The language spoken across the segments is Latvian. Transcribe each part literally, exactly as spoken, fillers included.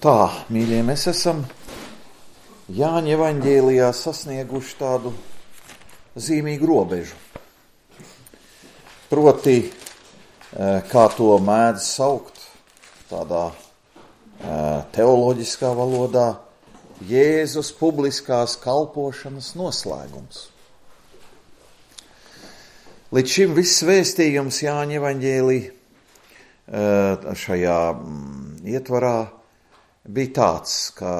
Tā, mīļie, mēs esam Jāņa evaņģēlijā sasnieguši tādu zīmīgu robežu. Proti, kā to mēdz saukt tādā teoloģiskā valodā, Jēzus publiskās kalpošanas noslēgums. Līdz šim viss vēstījums Jāņa evaņģēlī šajā ietvarā bija tāds, ka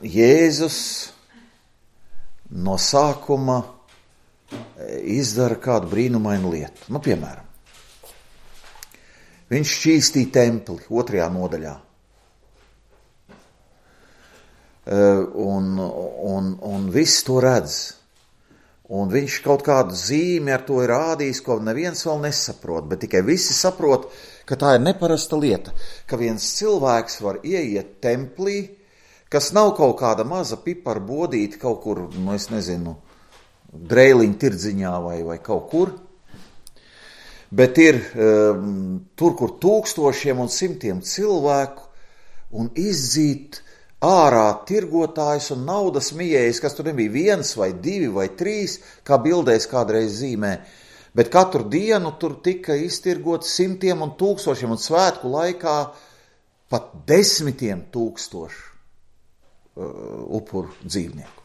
Jēzus no sākuma izdara kādu brīnumainu lietu. Nu, piemēram, viņš šķīstīja templi otrajā nodaļā. Un, un, un viss to redz. Un viņš kaut kādu zīmi ar to ir rādījis, ko neviens vēl nesaprot, bet tikai visi saprot, ka tā ir neparasta lieta, ka viens cilvēks var ieiet templī, kas nav kaut kāda maza pipara bodīta kaut kur, nu es nezinu, Dreiliņu tirdziņā vai, vai kaut kur, bet ir um, tur, kur tūkstošiem un simtiem cilvēku un izdzīt ārā tirgotājs un naudas mijējs, kas tur nebija viens vai divi vai trīs, kā bildēs kādreiz zīmē, bet katru dienu tur tika iztirgot simtiem un tūkstošiem un svētku laikā pat desmitiem tūkstošu uh, upuru dzīvnieku.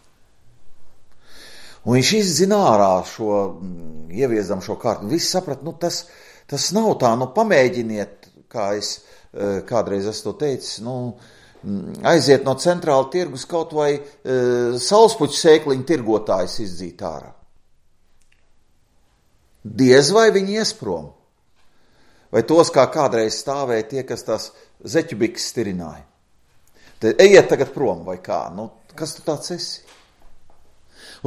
Un viņš izdzina ārā šo, ieviezam šo kārtu. Visi saprat, nu tas, tas nav tā, nu pamēģiniet, kā es uh, kādreiz esmu to teicis, nu, aiziet no centrāla tirgus kaut vai e, saulspuķu sēkliņu tirgotājs izdzīt ārā. Diez vai viņi ies prom. Vai tos, kā kādreiz stāvēja tie, kas tās zeķubikas stirināja. Tad ejiet tagad prom vai kā. Nu, kas tu tāds esi?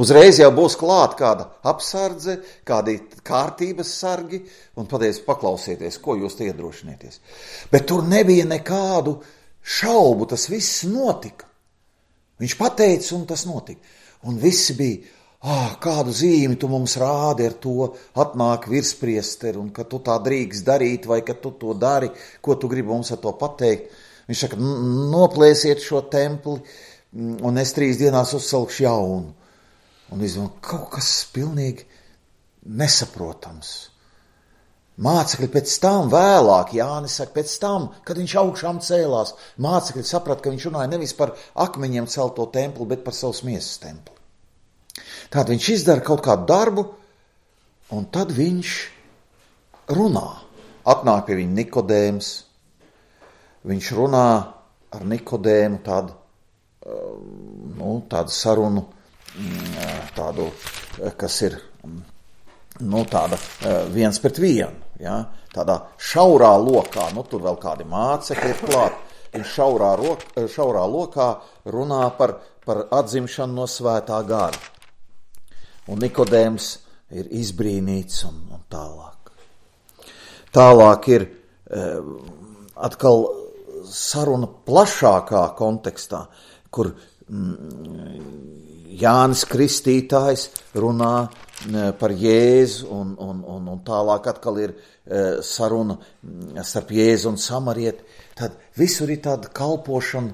Uzreiz jau būs klāt kāda apsardze, kādi kārtības sargi un pateic paklausieties, ko jūs te iedrošinieties. Bet tur nebija nekādu šaubu, tas viss notika. Viņš pateica, un tas notika. Un visi bija, ah, kādu zīmi tu mums rādi ar to, atnāk virspriesteri, un ka tu tā drīkst darīt, vai ka tu to dari, ko tu gribi mums ar to pateikt. Viņš saka, noplēsiet šo templi, un es trīs dienās uzcelkšu jaunu. Un es domāju, kaut kas pilnīgi nesaprotams. Mācekļi pēc tam vēlāk, Jānis saka, pēc tam, kad viņš augšām cēlās, mācekļi saprata, ka viņš runāja nevis par akmeņiem celto templi, bet par savas miesas templi. Tātad viņš izdara kaut kādu darbu, un tad viņš runā. Atnāk pie viņa Nikodēms, viņš runā ar Nikodēmu tādu, nu, tādu sarunu, tādu, kas ir, nu, tāda viens pret vienu, ja? Tādā šaurā lokā, nu, tur vēl kādi mācekļi ir klāt, viņš šaurā, rok, šaurā lokā runā par, par atzimšanu no svētā gara. Un Nikodēms ir izbrīnīts un, un tālāk. Tālāk ir eh, atkal saruna plašākā kontekstā, kur mm, Jānis Kristītājs runā par Jēzu un, un, un, un tālāk atkal ir saruna starp Jēzu un Samarieti. Tad visur ir tāda kalpošana,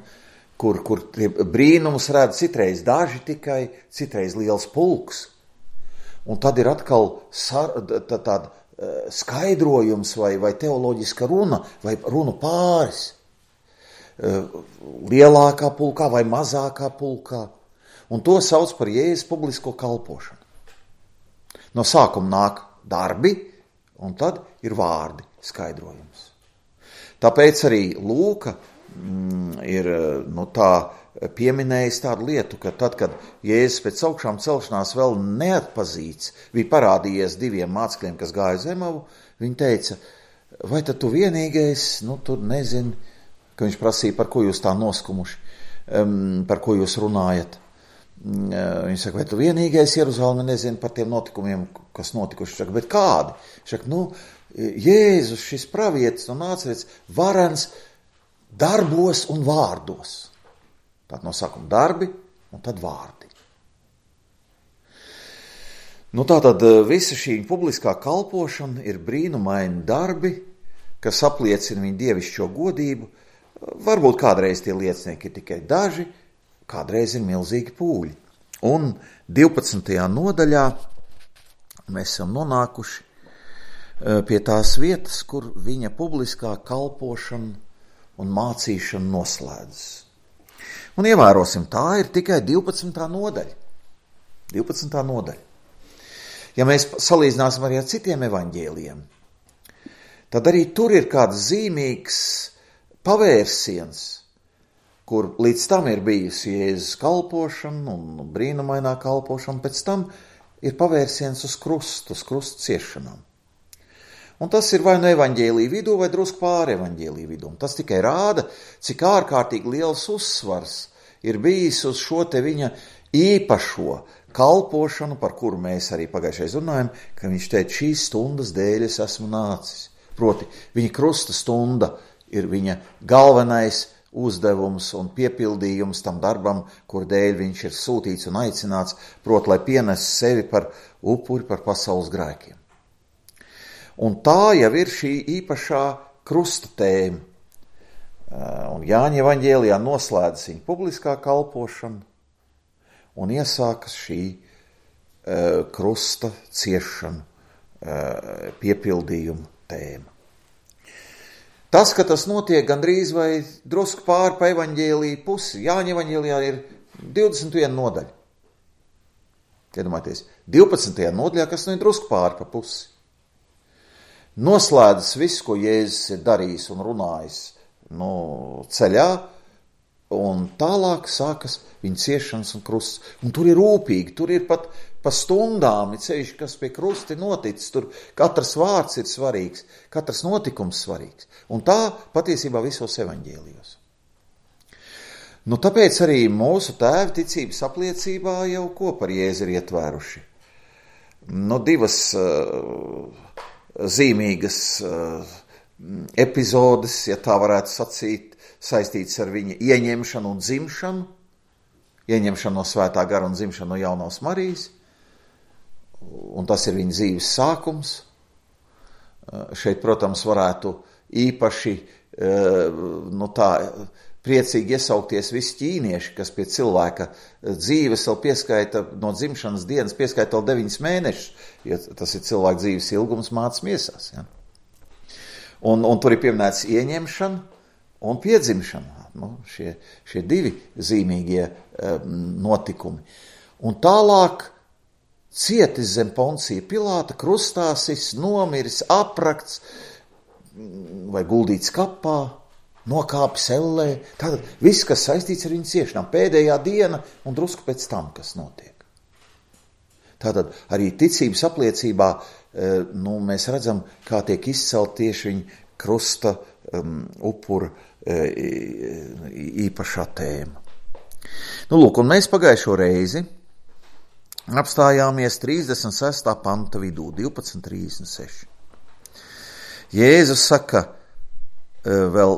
kur, kur brīnumus redz citreiz daži tikai, citreiz liels pulks. Un tad ir atkal sar, tā, tāda skaidrojums vai, vai teoloģiska runa vai runu pāris. Lielākā pulkā vai mazākā pulkā. Un to sauc par Jēzus publisko kalpošanu. No sākuma nāk darbi, un tad ir vārdi, skaidrojums. Tāpēc arī Lūka mm, ir nu, tā pieminējis tādu lietu, ka tad, kad Jēzus pēc augšām celšanās vēl neatpazīts, bija parādījies diviem mācekļiem, kas gāja uz Emavu, viņi teica, vai tad tu vienīgais, nu, tu nezini, ka viņš prasīja, par ko jūs tā noskumuši, um, par ko jūs runājat. Viņš saka, vai tu vienīgais Jeruzaleme nezini par tiem notikumiem, kas notikuši? Viņš saka, bet kādi? Viņš saka, nu, Jēzus, šis pravietis no Nācerets, varens darbos un vārdos. Tātad no sākuma darbi un tad vārdi. Nu, tātad visa šī publiskā kalpošana ir brīnumaini darbi, kas apliecina viņa dievišķo godību. Varbūt kādreiz tie liecinieki ir tikai daži, kādreiz ir milzīgi pūļi. Un divpadsmitajā nodaļā mēs esam nonākuši pie tās vietas, kur viņa publiskā kalpošana un mācīšana noslēdzas. Un ievērosim, tā ir tikai divpadsmitā nodaļa. divpadsmitā nodaļa. Ja mēs salīdzināsim arī ar citiem evaņģēlijiem, tad arī tur ir kāds zīmīgs pavērsiens, kur līdz tam ir bijusi Jēzus kalpošana un brīnumainā kalpošana, pēc tam ir pavērsiens uz krustu, uz krustu ciešanām. Un tas ir vai no evaņģēlija vidū, vai drusku pāri evaņģēlija vidū. Tas tikai rāda, cik ārkārtīgi liels uzsvars ir bijis uz šo te viņa īpašo kalpošanu, par kuru mēs arī pagājušais runājam, ka viņš teica, šīs stundas dēļ es esmu nācis. Proti, viņa krusta stunda ir viņa galvenais uzdevums un piepildījums tam darbam, kur dēļ viņš ir sūtīts un aicināts, proti, lai pienes sevi par upuri par pasaules grēkiem. Un tā jau ir šī īpašā krusta tēma. Un Jāņa evaņģēlijā noslēdzas viņa publiskā kalpošana un iesākas šī uh, krusta ciešana uh, piepildījuma tēma. Tas, ka tas notiek gandrīz vai drusku pāri pa evaņģēliju pusi, Jāņa evaņģēlijā ir divdesmit viena nodaļa. Iedomājieties, divpadsmitajā nodaļā, kas nu ir drusku pāri pa pusi. Noslēdzas viss, ko Jēzus ir darījis un runājis nu, ceļā, un tālāk sākas viņa ciešanas un krusts. Un tur ir rūpīgi, tur ir pat pa stundām, ir ceļš, kas pie krusta ir noticis, tur katrs vārds ir svarīgs, katrs notikums svarīgs. Un tā patiesībā visos evaņģēlijos. Nu, tāpēc arī mūsu tēvi ticības apliecībā jau ko par Jēzu ir ietvēruši. Nu, divas uh, zīmīgas uh, epizodes, ja tā varētu sacīt, saistītas ar viņa ieņemšanu un dzimšanu, ieņemšanu no Svētā gara un dzimšanu no Jaunās Marijas, un tas ir viņa dzīves sākums. Uh, šeit, protams, varētu īpaši uh, nu tā, priecīgi iesaukties visi ķīnieši, kas pie cilvēka dzīves vēl pieskaita no dzimšanas dienas, pieskaita vēl deviņus mēnešus, ja tas ir cilvēka dzīves ilgums mācas miesās. Ja? Un, un tur ir pieminēts ieņemšana un piedzimšana, nu, šie, šie divi zīmīgie um, notikumi. Un tālāk cietis zem Poncija Pilāta, krustāsis, nomiris, aprakts vai guldīts kapā, nokāpis ellē, tātad viss, kas saistīts ar viņu ciešanām, pēdējā diena un drusku pēc tam, kas notiek. Tātad arī ticības apliecībā nu, mēs redzam, kā tiek izcelt tieši viņa krusta um, upura īpašā tēma. Nu, lūk, un mēs pagājušo reizi apstājāmies trīsdesmit sestā panta vidū, divpadsmit trīsdesmit seši. Jēzus saka, vēl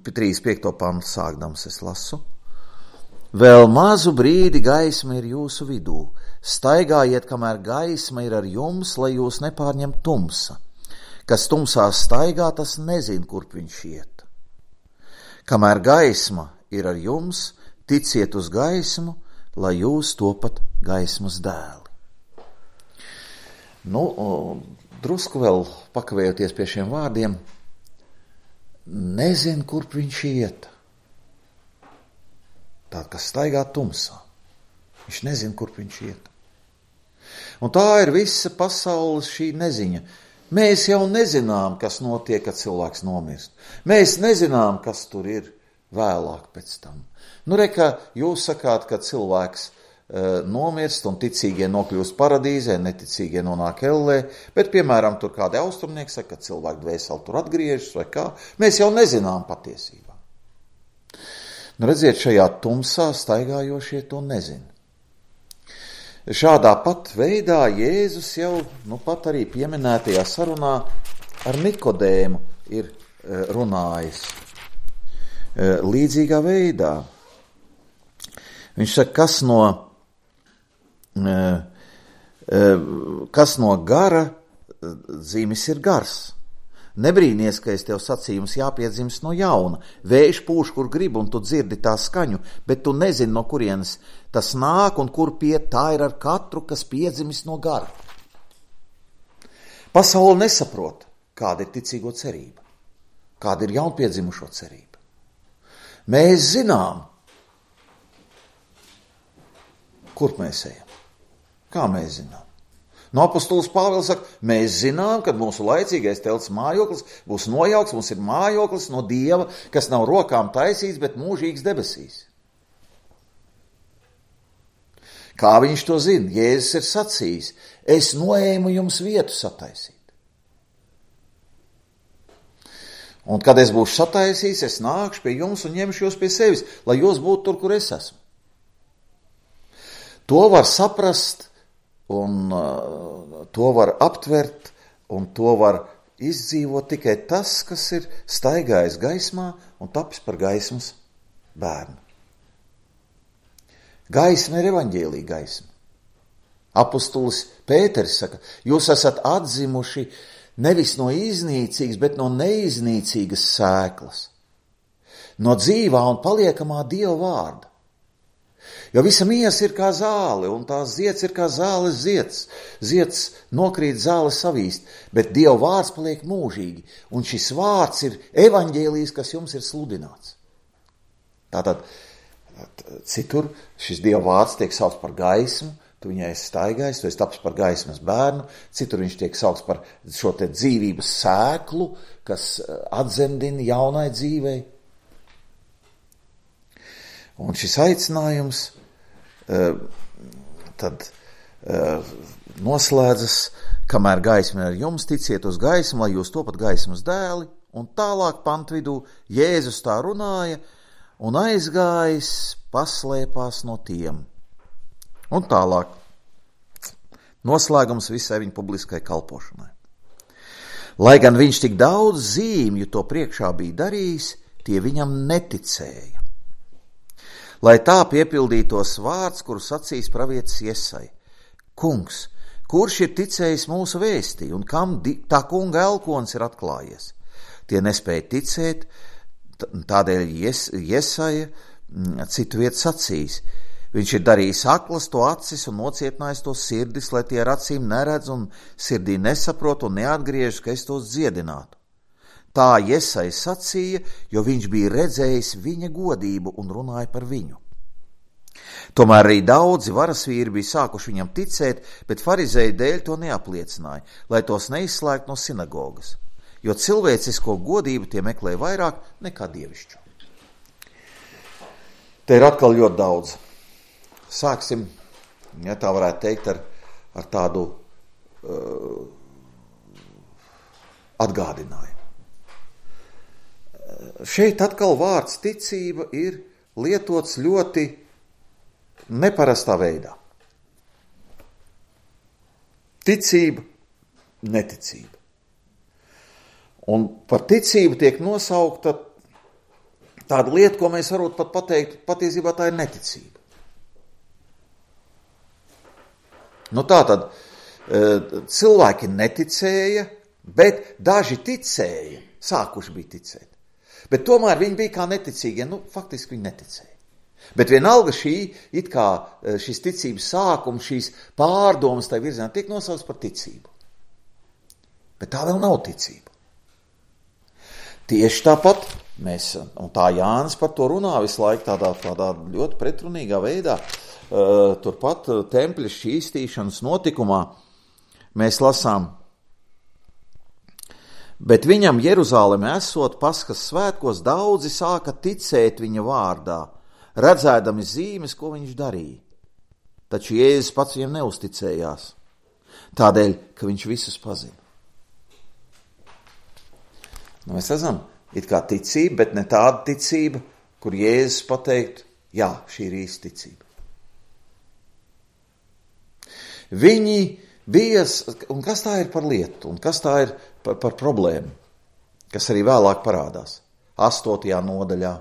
trīsdesmit piekto pantu sākdams es lasu. Vēl mazu brīdi gaisma ir jūsu vidū. Staigājiet, kamēr gaisma ir ar jums, lai jūs nepārņem tumsa. Kas tumsā staigā, tas nezin, kurp viņš iet. Kamēr gaisma ir ar jums, ticiet uz gaismu, lai jūs topat gaismas dēli. Nu, drusku vēl pakavējoties pie šiem vārdiem, nezin, kurp viņš iet. Tād, kas staigā tumsā. Viņš nezin, kurp viņš iet. Un tā ir visa pasaules šī neziņa. Mēs jau nezinām, kas notiek, kad cilvēks nomirst. Mēs nezinām, kas tur ir vēlāk pēc tam. Nu, re, ka jūs sakāt, ka cilvēks nomirst un ticīgie nokļūst paradīzē, neticīgie nonāk ellē, bet, piemēram, tur kādi austrumnieki saka, ka cilvēku dvēseli tur atgriežas vai kā. Mēs jau nezinām patiesībā. Nu, redziet, šajā tumsā staigājošie to nezina. Šādā pat veidā Jēzus jau, nu pat arī pieminētajā sarunā ar Nikodēmu ir runājis līdzīgā veidā. Viņš saka, kas no Kas no gara dzīmes ir gars, Nebrīnies, ka es tev sacīju, jums jāpiedzimst no jauna. Vējš pūš, kur grib, un tu dzirdi tā skaņu, bet tu nezini, no kurienes tas nāk un kur piet. Tā ir ar katru, kas piedzimis no gara. Pasaule nesaprot, kāda ir ticīgo cerība, kāda ir jaunpiedzimušo cerība. Mēs zinām, kur mēs ejam. Kā mēs zinām? No apostols Pāvils saka, mēs zinām, ka mūsu laicīgais telts mājoklis būs nojauks, mums ir mājoklis no Dieva, kas nav rokām taisīts, bet mūžīgs debesīs. Kā viņš to zina? Jēzus ir sacījis, es noēmu jums vietu sataisīt. Un kad es būšu sataisījis, es nākšu pie jums un ņemšu jūs pie sevis, lai jūs būtu tur, kur es esmu. To var saprast, un uh, to var aptvert, un to var izdzīvot tikai tas, kas ir staigājis gaismā un tapis par gaismas bērnu. Gaisma ir evaņģēlija gaisma. Apostolis Pēteris saka, jūs esat atzimuši nevis no iznīcīgas, bet no neiznīcīgas sēklas, no dzīvā un paliekamā Dieva vārda. Jo visa miesa ir kā zāle, un tās zieds ir kā zāles zieds. Zieds nokrīt, zāle savīst, bet Dieva vārds paliek mūžīgi, un šis vārds ir evaņģēlijs, kas jums ir sludināts. Tātad, citur šis Dieva vārds tiek saukts par gaismu, tu viņai esi staigājis, tu esi tapis par gaismas bērnu, citur viņš tiek saukts par šo te dzīvības sēklu, kas atzemdina jaunai dzīvei. Un šis aicinājums uh, tad uh, noslēdzas, kamēr gaisma ar jums, ticiet uz gaismu, lai jūs topat gaismas dēli, un tālāk pantvidū Jēzus tā runāja, un aizgājis paslēpās no tiem. Un tālāk noslēgums visai viņa publiskai kalpošanai. Lai gan viņš tik daudz zīmju to priekšā bija darījis, tie viņam neticēja. Lai tā piepildītos vārds, kuru sacīs pravietis Jesai. Kungs, kurš ir ticējis mūsu vēstī, un kam tā kunga elkons ir atklājies? Tie nespēja ticēt, tādēļ Jes, Jesaja citu vietu sacīs. Viņš ir darījis aklas to acis un nocietinājis to sirdis, lai tie ar acīm neredz un sirdī nesaprot un neatgriežas, ka es tos dziedinātu. Tā Jesai sacīja, jo viņš bija redzējis viņa godību un runāja par viņu. Tomēr arī daudzi varasvīri bija sākuši viņam ticēt, bet farizēju dēļ to neapliecināja, lai tos neizslēgtu no sinagogas, jo cilvēcisko godību tie meklēja vairāk nekā dievišķo. Te ir atkal ļoti daudz. Sāksim, ja tā varētu teikt, ar, ar tādu uh, atgādinājumu. Šeit atkal vārds ticība ir lietots ļoti neparastā veidā. Ticība, neticība. Un par ticību tiek nosaukta tāda lieta, ko mēs varētu pat pateikt, patiesībā tā ir neticība. Nu tā tad cilvēki neticēja, bet daži ticēja, sākuši bija ticēt. Bet tomēr viņi bija kā neticīgie, nu faktiski viņi neticēja. Bet vienalga šī, it kā šis ticības sākums, šīs pārdomas tai virzienā tiek nosaukts par ticību. Bet tā vēl nav ticība. Tieši tāpat mēs, un tā Jānis par to runā visu laiku tādā, tādā ļoti pretrunīgā veidā, uh, turpat tempļa šķīstīšanas notikumā mēs lasām, bet viņam Jeruzāleme esot Paskas svētkos, daudzi sāka ticēt viņa vārdā, redzēdami zīmes, ko viņš darīja. Taču Jēzus pats viņam neusticējās, tādēļ, ka viņš visus pazina. Nu, mēs redzam, it kā ticība, bet ne tāda ticība, kur Jēzus pateikt, jā, šī ir īsta ticība. Viņi bija, un kas tā ir par lietu, un kas tā ir par, par problēmu, kas arī vēlāk parādās, astotajā nodaļā,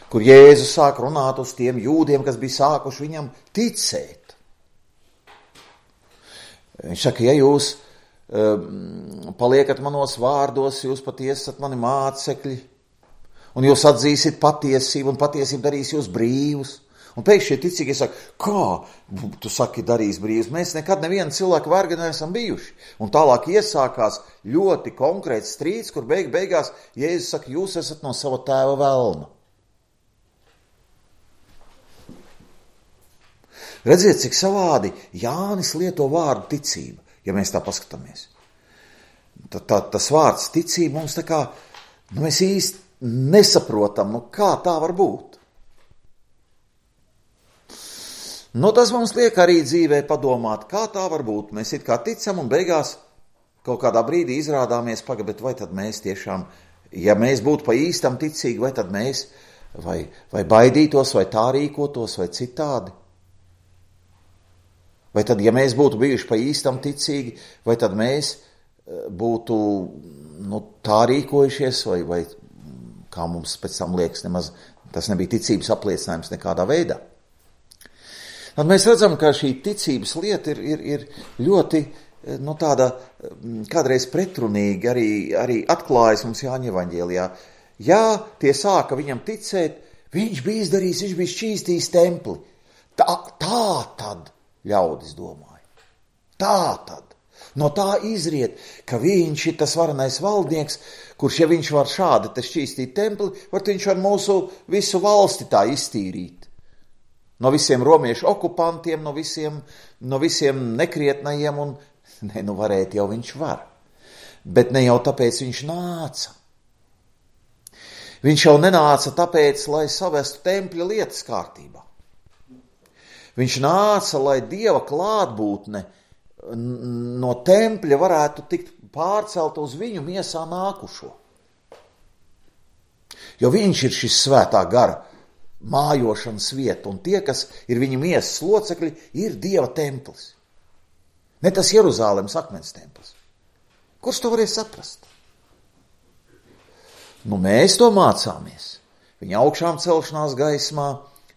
kur Jēzus sāk runāt uz tiem jūdiem, kas bija sākuši viņam ticēt. Viņš saka, ja jūs paliekat manos vārdos, jūs patiesi esat mani mācekļi, un jūs atzīsiet patiesību, un patiesība darīs jūs brīvus. Un pēkšņi šie ticīgie saka, kā tu saki darīs brīvus? Mēs nekad nevienu cilvēku vergi neesam bijuši. Un tālāk iesākās ļoti konkrēts strīds, kur beig beigās Jēzus saka, jūs esat no sava tēva velna. Redziet, cik savādi Jānis lieto vārdu ticība, ja mēs tā paskatāmies. Tā, tā, tas vārds ticība mums tā kā, nu mēs īsti nesaprotam, nu kā tā var būt. Nu, tas mums liek arī dzīvē padomāt, kā tā var būt. Mēs it kā ticam un beigās kaut kādā brīdī izrādāmies, paga, bet vai tad mēs tiešām, ja mēs būtu pa īstam ticīgi, vai tad mēs, vai, vai baidītos, vai tā rīkotos, vai citādi? Vai tad, ja mēs būtu bijuši pa īstam ticīgi, vai tad mēs būtu, nu, tā rīkojušies, vai, vai kā mums pēc tam liekas, nemaz tas nebija ticības apliecinājums nekādā veidā. Tad mēs redzam, ka šī ticības lieta ir, ir, ir ļoti, nu, tāda kādreiz pretrunīgi arī, arī atklājas mums Jāņa evaņģēlijā. Jā, tie sāka viņam ticēt, viņš bija izdarījis, viņš bija šķīstījis templi. Tā, tā tad ļaudis domāja. Tā tad. No tā izriet, ka viņš ir tas varenais valdnieks, kurš, ja viņš var šādi te šķīstīt templi, var viņš var mūsu visu valsti tā iztīrīt. No visiem romiešu okupantiem, no visiem, no visiem nekrietnajiem, un ne, nu varēt jau viņš var. Bet ne jau tāpēc viņš nāca. Viņš jau nenāca tāpēc, lai savestu tempļa lietas kārtībā. Viņš nāca, lai Dieva klātbūtne no tempļa varētu tikt pārcelt uz viņu miesā nākušo. Jo viņš ir šis svētā gara mājošanas vieta, un tie, kas ir viņa miesas locekļi, ir Dieva templis. Ne tas Jeruzālemes akmens templis. Kurš to varēs saprast? Nu, mēs to mācāmies. Viņa augšām celšanās gaismā,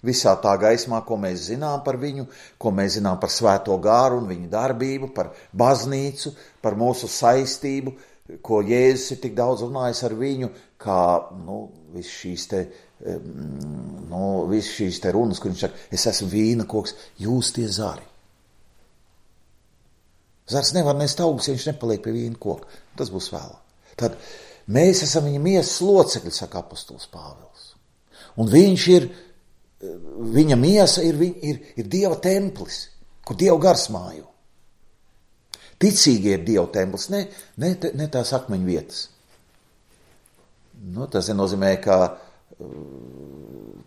visā tā gaismā, ko mēs zinām par viņu, ko mēs zinām par svēto gāru un viņa darbību, par baznīcu, par mūsu saistību, ko Jēzus ir tik daudz runājis ar viņu, kā, nu, viss šīs te Nu, viss šīs te runas, kur viņš saka, es esmu vīna koks, jūs tie zari. Zars nevar nest augus, ja viņš nepaliek pie vīna koka. Tas būs vēlāk. Tad mēs esam viņa miesas locekļi, saka apostols Pāvils. Un viņš ir, viņa miesa ir, ir, ir Dieva templis, kur Dieva gars mājo. Ticīgie ir Dieva templis, ne, ne, ne tās akmeņu vietas. Nu, tas nenozīmē, ka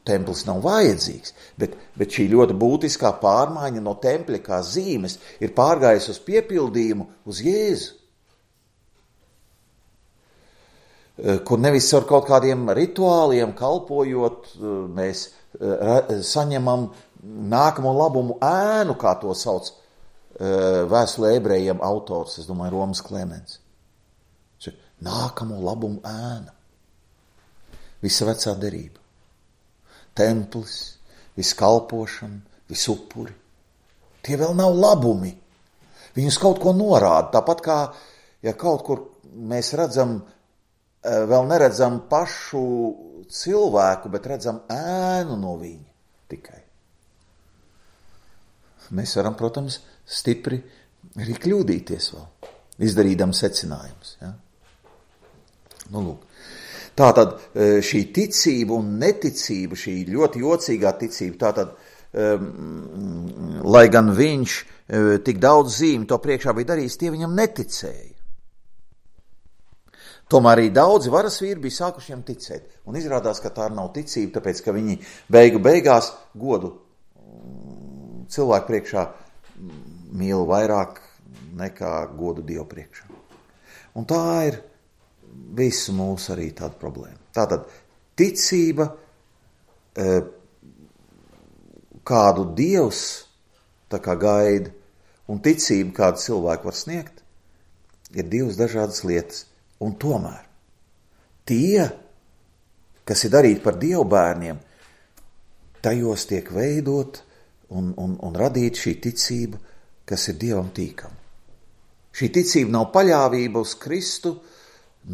templis nav vajadzīgs, bet, bet šī ļoti būtiskā pārmaiņa no tempļa kā zīmes ir pārgājusi uz piepildījumu uz Jēzu, kur nevis ar kaut kādiem rituāliem kalpojot, mēs saņemam nākamo labumu ēnu, kā to sauc vēstulē ebrejiem autors, es domāju, Romas Klemens. Nākamo labumu ēna. Visa vecā derība, templis, viss kalpošana, viss upuri. Tie vēl nav labumi. Viņus kaut ko norāda. Tāpat kā, ja kaut kur mēs redzam, vēl neredzam pašu cilvēku, bet redzam ēnu no viņa tikai. Mēs varam, protams, stipri arī kļūdīties vēl, izdarīdam secinājumus. Ja? Nu, lūk. Tātad šī ticība un neticība, šī ļoti jocīgā ticība, tātad, um, lai gan viņš uh, tik daudz zīmi to priekšā bija darījis, tie viņam neticēja. Tomēr arī daudzi varas vīri bija sākuši viņam ticēt. Un izrādās, ka tā nav ticība, tāpēc, ka viņi beigu beigās godu cilvēku priekšā mīl vairāk nekā godu Dievu priekšā. Un tā ir visu mūsu arī tāda problēma. Tātad ticība, kādu Dievs tā kā gaida, un ticība, kādu cilvēku var sniegt, ir divas dažādas lietas. Un tomēr tie, kas ir darīti par Dievu bērniem, tajos tiek veidot un, un, un radīt šī ticība, kas ir Dievam tīkama. Šī ticība nav paļāvība uz Kristu,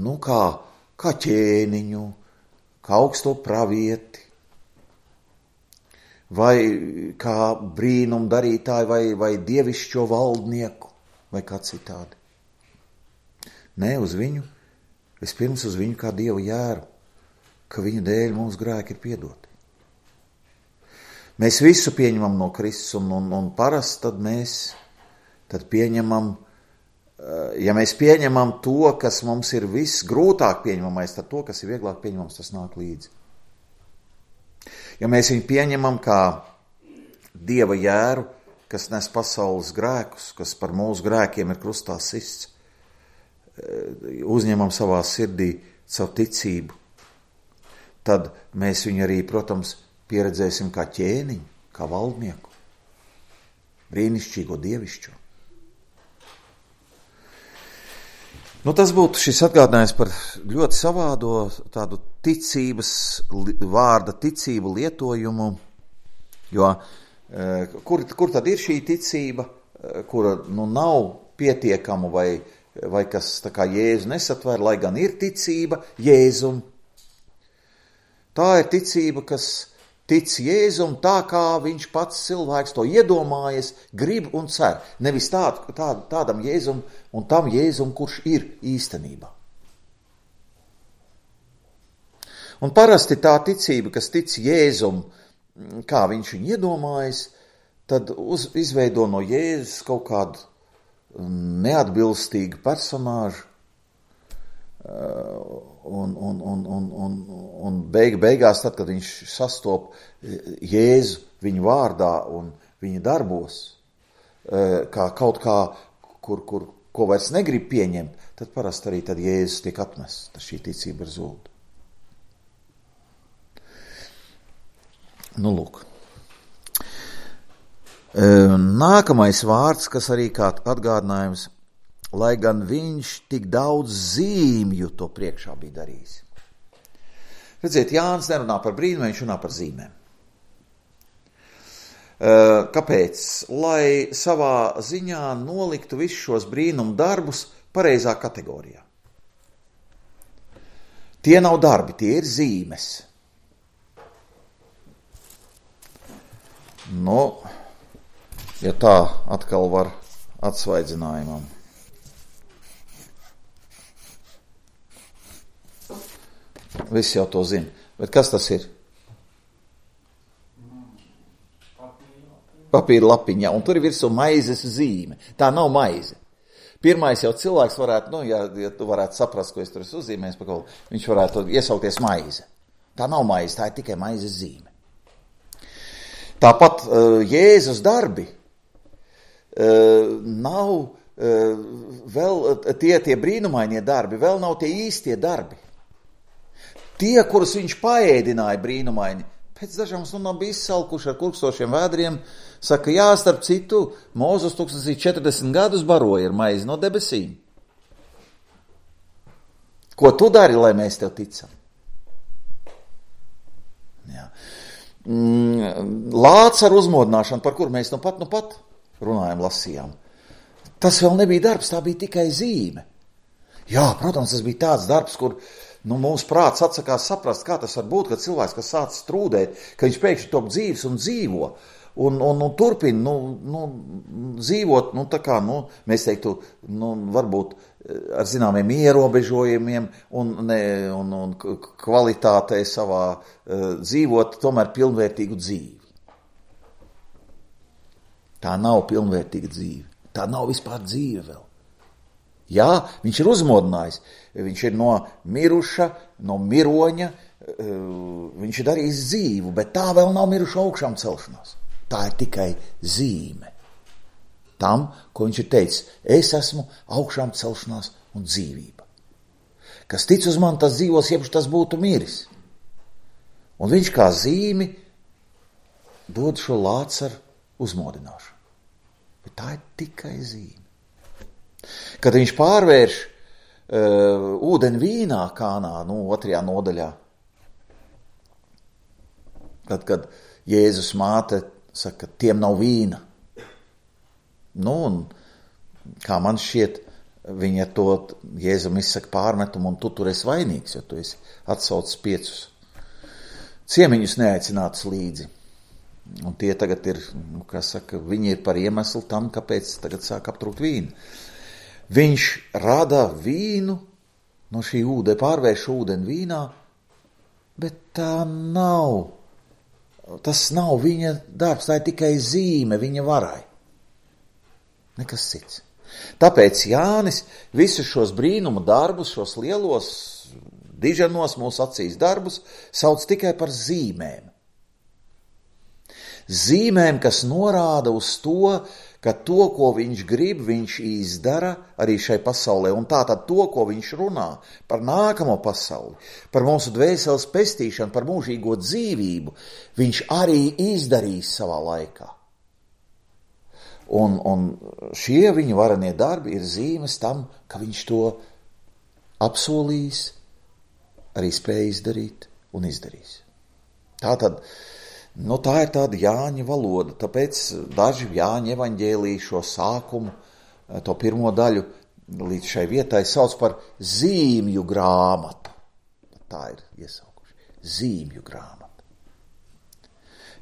nu kā, kā ķēniņu, kā augsto pravieti, vai kā brīnumu darītāju, vai, vai dievišķo valdnieku, vai kā citādi. Nē, uz viņu, vispirms uz viņu kā Dievu jēru, ka viņa dēļ mūsu grēki ir piedoti. Mēs visu pieņemam no Kristus, un, un, un parasti tad mēs tad pieņemam, ja mēs pieņemam to, kas mums ir viss grūtāk pieņemamais, tad to, kas ir vieglāk pieņemams, tas nāk līdzi. Ja mēs viņu pieņemam kā Dieva jēru, kas nes pasaules grēkus, kas par mūsu grēkiem ir krustā sists, uzņemam savā sirdī savu ticību, tad mēs viņu arī, protams, pieredzēsim kā ķēniņu, kā valdnieku, brīnišķīgo dievišķo. Nu, tas būtu šis atgādinājums par ļoti savādo tādu ticības, vārda ticību lietojumu, jo kur, kur tad ir šī ticība, kura nu nav pietiekama vai, vai kas tā kā Jēzu nesatver, lai gan ir ticība Jēzum. Tā ir ticība, kas tic Jēzum tā, kā viņš pats cilvēks to iedomājas, grib un cer. Nevis tād, tād, tādam Jēzum un tam Jēzum, kurš ir īstenībā. Un parasti tā ticība, kas tic Jēzum, kā viņš viņu iedomājas, tad uz, izveido no Jēzus kaut kādu neatbilstīgu personāžu, un, un, un, un, un, un beig, beigās, tad, kad viņš sastop Jēzu viņa vārdā un viņa darbos, kā kaut kā, kur, kur, ko vairs negrib pieņemt, tad parasti arī tad Jēzus tiek atmests, tad šī ticība ir zūd. Nu, lūk. Nākamais vārds, kas arī kā atgādinājums, lai gan viņš tik daudz zīmju to priekšā bija darījis. Redziet, Jānis nerunā par brīnumiem, viņš runā par zīmēm. Kāpēc? Lai savā ziņā noliktu visus šos brīnumu darbus pareizā kategorijā. Tie nav darbi, tie ir zīmes. Nu, ja tā atkal var atsvaidzinājumam. Visi jau to zina. Bet kas tas ir? Papīra lapiņa, un tur ir virsū maizes zīme. Tā nav maize. Pirmais jau cilvēks varētu, nu, ja, ja tu varētu saprast, ko es tur esmu uzzīmējis, pa kaut, viņš varētu iesaukties maize. Tā nav maize, tā ir tikai maizes zīme. Tāpat uh, Jēzus darbi uh, nav uh, vēl tie, tie brīnumainie darbi, vēl nav tie īstie darbi. Tie, kurus viņš paēdināja brīnumaini, pēc dažām stundām bija izsalkuši ar kurkstošiem vēdriem, saka, jā, starp citu, Mūzes tūkstoš četrdesmit gadus baroja ar maizi no debesīm. Ko tu dari, lai mēs tev ticam? Jā. Lācis ar uzmodināšanu, par kuru mēs nu pat, nu pat runājam, lasījām. Tas vēl nebija darbs, tā bija tikai zīme. Jā, protams, tas bija tāds darbs, kur nu, mūsu prāts atsakās saprast, kā tas var būt, ka cilvēks, kas sāc strūdēt, ka viņš pēkšņi top dzīves un dzīvo, un, un, un turpina, nu, nu, dzīvot, nu, tā kā, nu, mēs teiktu, nu, varbūt ar zināmiem ierobežojumiem un, ne, un, un kvalitātei savā uh, dzīvot, tomēr pilnvērtīgu dzīvi. Tā nav pilnvērtīga dzīve. Tā nav vispār dzīve vēl. Jā, viņš ir uzmodinājis, viņš ir no miruša, no miroņa, viņš ir darījis dzīvu, bet tā vēl nav miruša augšām celšanās. Tā ir tikai zīme tam, ko viņš ir teicis, es esmu augšām celšanās un dzīvība. Kas tic uz mani, tas dzīvos, jebš tas būtu miris. Un viņš kā zīmi dod šo lāci ar uzmodināšanu. Bet tā ir tikai zīme. Kad viņš pārvērš uh, ūdeni vīnā Kānā, nu, otrajā nodaļā, kad, kad Jēzus māte saka, tiem nav vīna. Nu, un kā man šķiet, viņa to Jēzum izsaka pārmetumu, un tu tur esi vainīgs, jo tu esi atsaucis piecus ciemiņus neaicinātus līdzi. Un tie tagad ir, nu, kā saka, viņi ir par iemeslu tam, kāpēc tagad sāk aptrūkt vīnu. Viņš rada vīnu, no šī ūdeni, pārvērš ūdeni vīnā, bet tā nav, tas nav viņa darbs, tā ir tikai zīme viņa varai. Nekas cits. Tāpēc Jānis visus šos brīnumu darbus, šos lielos diženos mūsu acīs darbus, sauc tikai par zīmēm. Zīmēm, kas norāda uz to, ka to, ko viņš grib, viņš izdara arī šai pasaulē. Un tātad to, ko viņš runā par nākamo pasauli, par mūsu dvēseles pestīšanu, par mūžīgo dzīvību, viņš arī izdarīs savā laikā. Un, un šie viņa varenie darbi ir zīmes tam, ka viņš to apsolīs, arī spēja izdarīt un izdarīs. Tātad, nu tā ir tāda Jāņa valoda, tāpēc daži Jāņa evaņģēlija šo sākumu, to pirmo daļu līdz šai vietai sauc par zīmju grāmatu. Tā ir iesaukuši. Zīmju grāmata.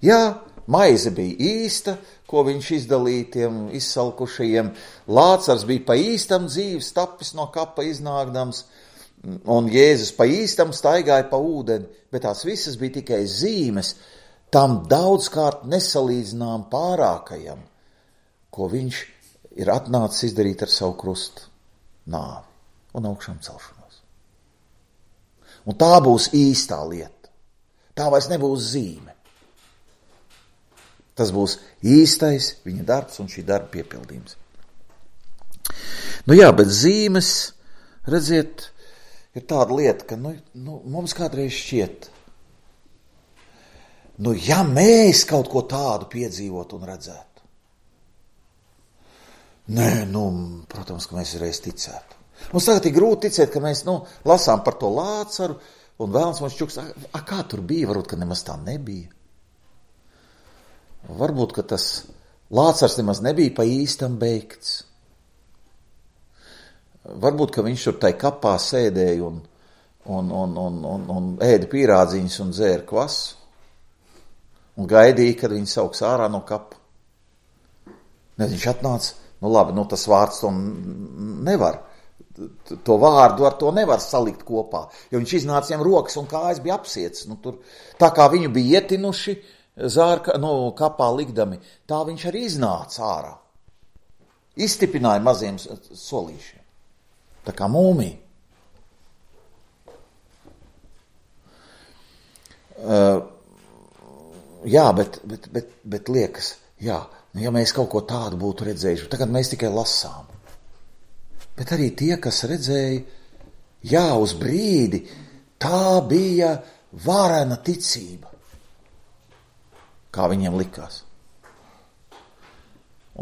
Jā, maize bija īsta, ko viņš izdalīja tiem izsalkušajiem. Lācars bija pa īstam dzīves tapis no kapa iznākdams, un Jēzus pa īstam staigāja pa ūdeni, bet tās visas bija tikai zīmes tam daudzkārt nesalīdzinām pārākajam, ko viņš ir atnācis izdarīt ar savu krustu nāvi un augšām celšanos. Un tā būs īstā lieta. Tā vairs nebūs zīme. Tas būs īstais viņa darbs un šī darba piepildījums. Nu jā, bet zīmes, redziet, ir tāda lieta, ka nu, nu, mums kādreiz šķiet, nu ja mēs kaut ko tādu piedzīvot un redzētu. Nē, nu, protams, ka mēs reiz ticētu. Mums tagad ir grūti ticēt, ka mēs, nu, lasām par to Lācaru un vēlams mums čuks, a, a kā tur bija, varbūt, ka nemaz tā nebija. Varbūt, ka tas Lācars nemaz nebija pa īstam beigts. Varbūt, ka viņš tur tai kapā sēdēja un, un, un, un, un, un ēda pīrādziņus un dzēra kvasu un gaidīja, kad viņi sauks ārā no kapa. Ne, viņš atnāca, nu labi, nu tas vārds to nevar, to vārdu ar to nevar salikt kopā, jo viņš iznāca viņam rokas un kājas bija apsiets. Nu, tur, tā kā viņu bija ietinuši, zārka, nu, kapā likdami, tā viņš arī iznāca ārā. Izstipināja maziem solīšiem. Tā kā mūmija. Uh, jā, bet, bet, bet, bet liekas, jā, ja mēs kaut ko tādu būtu redzējuši, tagad mēs tikai lasām. Bet arī tie, kas redzēja, jā, uz brīdi, tā bija varena ticība. Kā viņiem likās.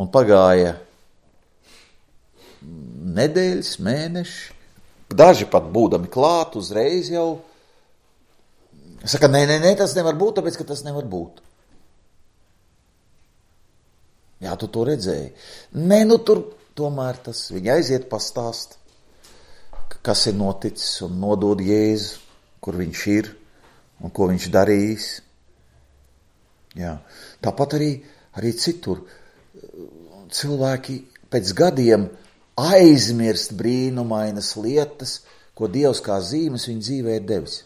Un pagāja nedēļas, mēneši, daži pat būdami klāt uzreiz jau. Saka, nē, nē, nē, tas nevar būt, tāpēc, ka tas nevar būt. Jā, tu to redzēji. Nē, nu tur tomēr tas, viņi aiziet pastāst, kas ir noticis un nodod Jēzu, kur viņš ir un ko viņš darījis. Jā. Tāpat arī, arī citur cilvēki pēc gadiem aizmirst brīnumainas lietas, ko Dievs kā zīmes viņa dzīvē ir devis.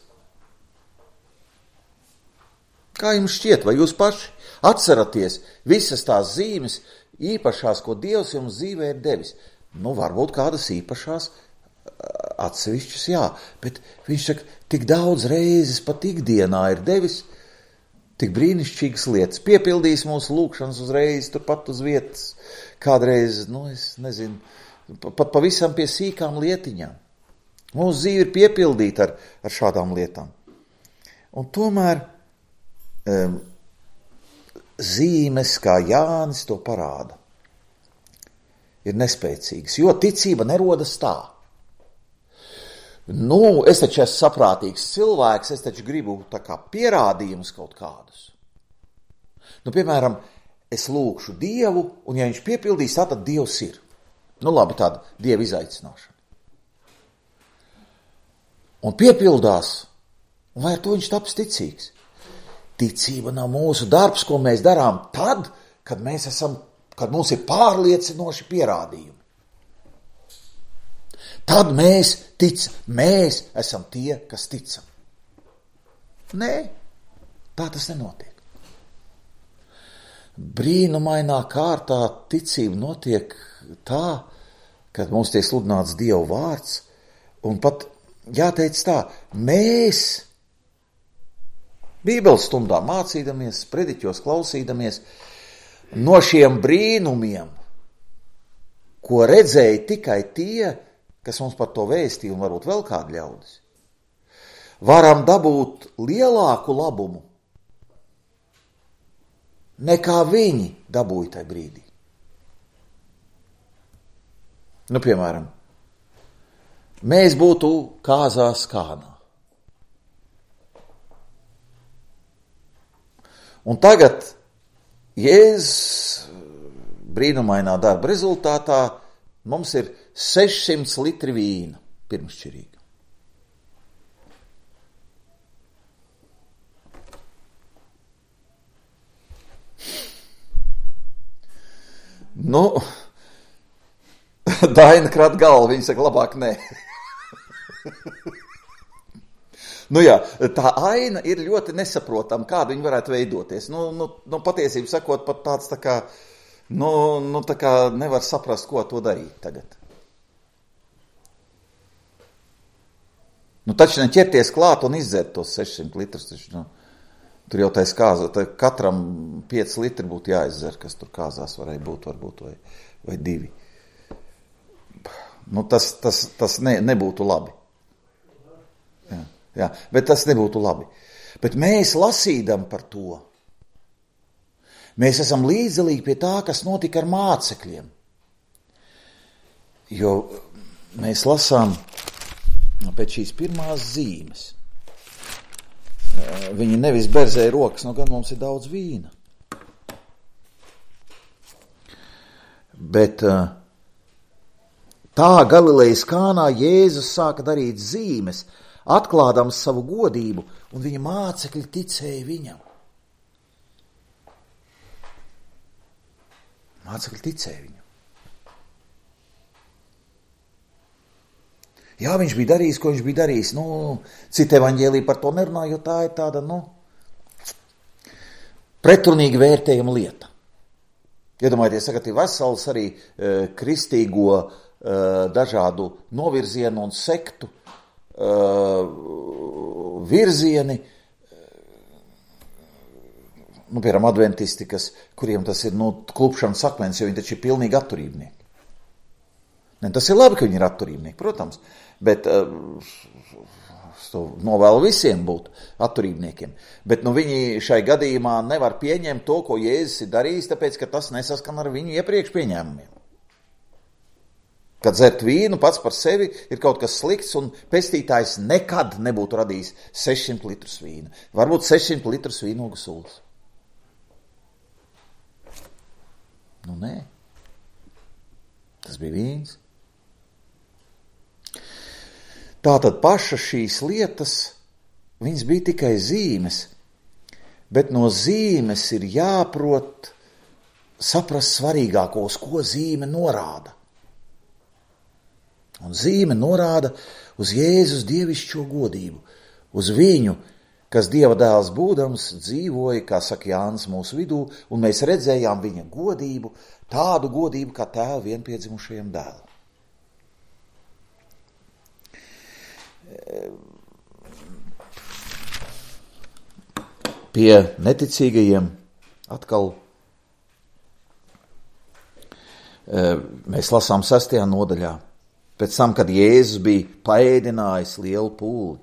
Kā jums šķiet, vai jūs paši atceraties visas tās zīmes īpašās, ko Dievs jums dzīvē ir devis? Nu, varbūt kādas īpašās atsevišķas, jā, bet viņš saka, tik daudz reizes pat ikdienā ir devis tik brīnišķīgas lietas, piepildījis mūsu lūkšanas uzreiz, turpat uz vietas, kādreiz, nu, es nezinu, pat pavisam pie sīkām lietiņām. Mūsu dzīve ir piepildīta ar, ar šādām lietām. Un tomēr um, zīmes, kā Jānis to parāda, ir nespēcīgas, jo ticība nerodas tā. Nu, es taču esmu saprātīgs cilvēks, es taču gribu tā kā pierādījumus kaut kādus. Nu, piemēram, es lūkšu Dievu, un ja viņš piepildīs, tā tad Dievs ir. Nu labi, tāda Dieva izaicināšana. Un piepildās, un vai ar to viņš taps ticīgs? Ticība nav mūsu darbs, ko mēs darām tad, kad mēs esam, kad mums ir pārliecinoši pierādījumi. Tad mēs ticam, mēs esam tie, kas ticam. Nē, tā tas nenotiek. Brīnumainā kārtā ticība notiek tā, kad mums tiek sludināts Dieva vārds, un pat jāteic tā, mēs Bībeles stundā mācīdamies, prediķos klausīdamies, no šiem brīnumiem, ko redzēja tikai tie, kas mums par to vēstīja, un varbūt vēl kādi ļaudis, varam dabūt lielāku labumu, nekā viņi dabūja tajā brīdī. Nu, piemēram, mēs būtu kāzās Kānā. Un tagad Jēzus brīnumainā darba rezultātā mums ir sešsimt litri vīna pirmšķirīga. Nu, Daina krat galvu, viņa saka, labāk nē. Nu jā, tā aina ir ļoti nesaprotama, kāda viņa varētu veidoties. Nu, nu, nu patiesību sakot, pat tāds tā kā, nu, nu tā kā nevar saprast, ko to darīt tagad. Nu taču neķerties klāt un izdzert tos sešsimt litrus, taču, nu, tur jau tais kāza, tā katram pieci litri būtu jāizdzer, kas tur kāzās varēja būt, varbūt, vai, vai divi. Nu tas, tas, tas ne, nebūtu labi. Jā. Jā, bet tas nebūtu labi. Bet mēs lasīdam par to, mēs esam līdzdalīgi pie tā, kas notika ar mācekļiem. Jo mēs lasām pēc šīs pirmās zīmes. Viņi nevis berzēja rokas, nu gan mums ir daudz vīna. Bet tā Galilejas Kānā Jēzus sāka darīt zīmes, atklādams savu godību, un viņa mācekļi ticēja viņam. Mācekļi ticēja viņam. Jā, viņš bija darījis, ko viņš bija darījis. Nu, cita evaņģēlija par to nerunā, jo tā ir tāda, nu, pretrunīgi vērtējama lieta. Iedomājieties, sakat, ir vesels arī e, kristīgo e, dažādu novirzienu un sektu Uh, virzieni, nu, piemēram, adventisti, kas, kuriem tas ir, nu, klupšanas akmens, jo viņi taču ir pilnīgi atturībnieki. Ne, tas ir labi, ka viņi ir atturībnieki, protams, bet uh, to novēlu visiem būt atturībniekiem. Bet, nu, viņi šai gadījumā nevar pieņemt to, ko Jēzus ir darījis, tāpēc, ka tas nesaskan ar viņu iepriekš pieņēmumiem. Kad dzert vīnu pats par sevi ir kaut kas slikts, un pestītājs nekad nebūtu radījis sešsimt litrus vīna. Varbūt sešsimt litrus vīnogu sūds. Nu, nē. Tas bija vīns. Tātad paša šīs lietas, viņas bija tikai zīmes, bet no zīmes ir jāprot saprast svarīgāko, uz ko zīme norāda. Un zīme norāda uz Jēzus dievišķo godību, uz viņu, kas Dieva dēls būdams dzīvoja, kā saka Jānis, mūsu vidū, un mēs redzējām viņa godību, tādu godību kā tēva vienpiedzimušajam dēlam. Pie neticīgajiem atkal mēs lasām sestajā nodaļā. Pēc tam, kad Jēzus bija paēdinājis lielu pūli.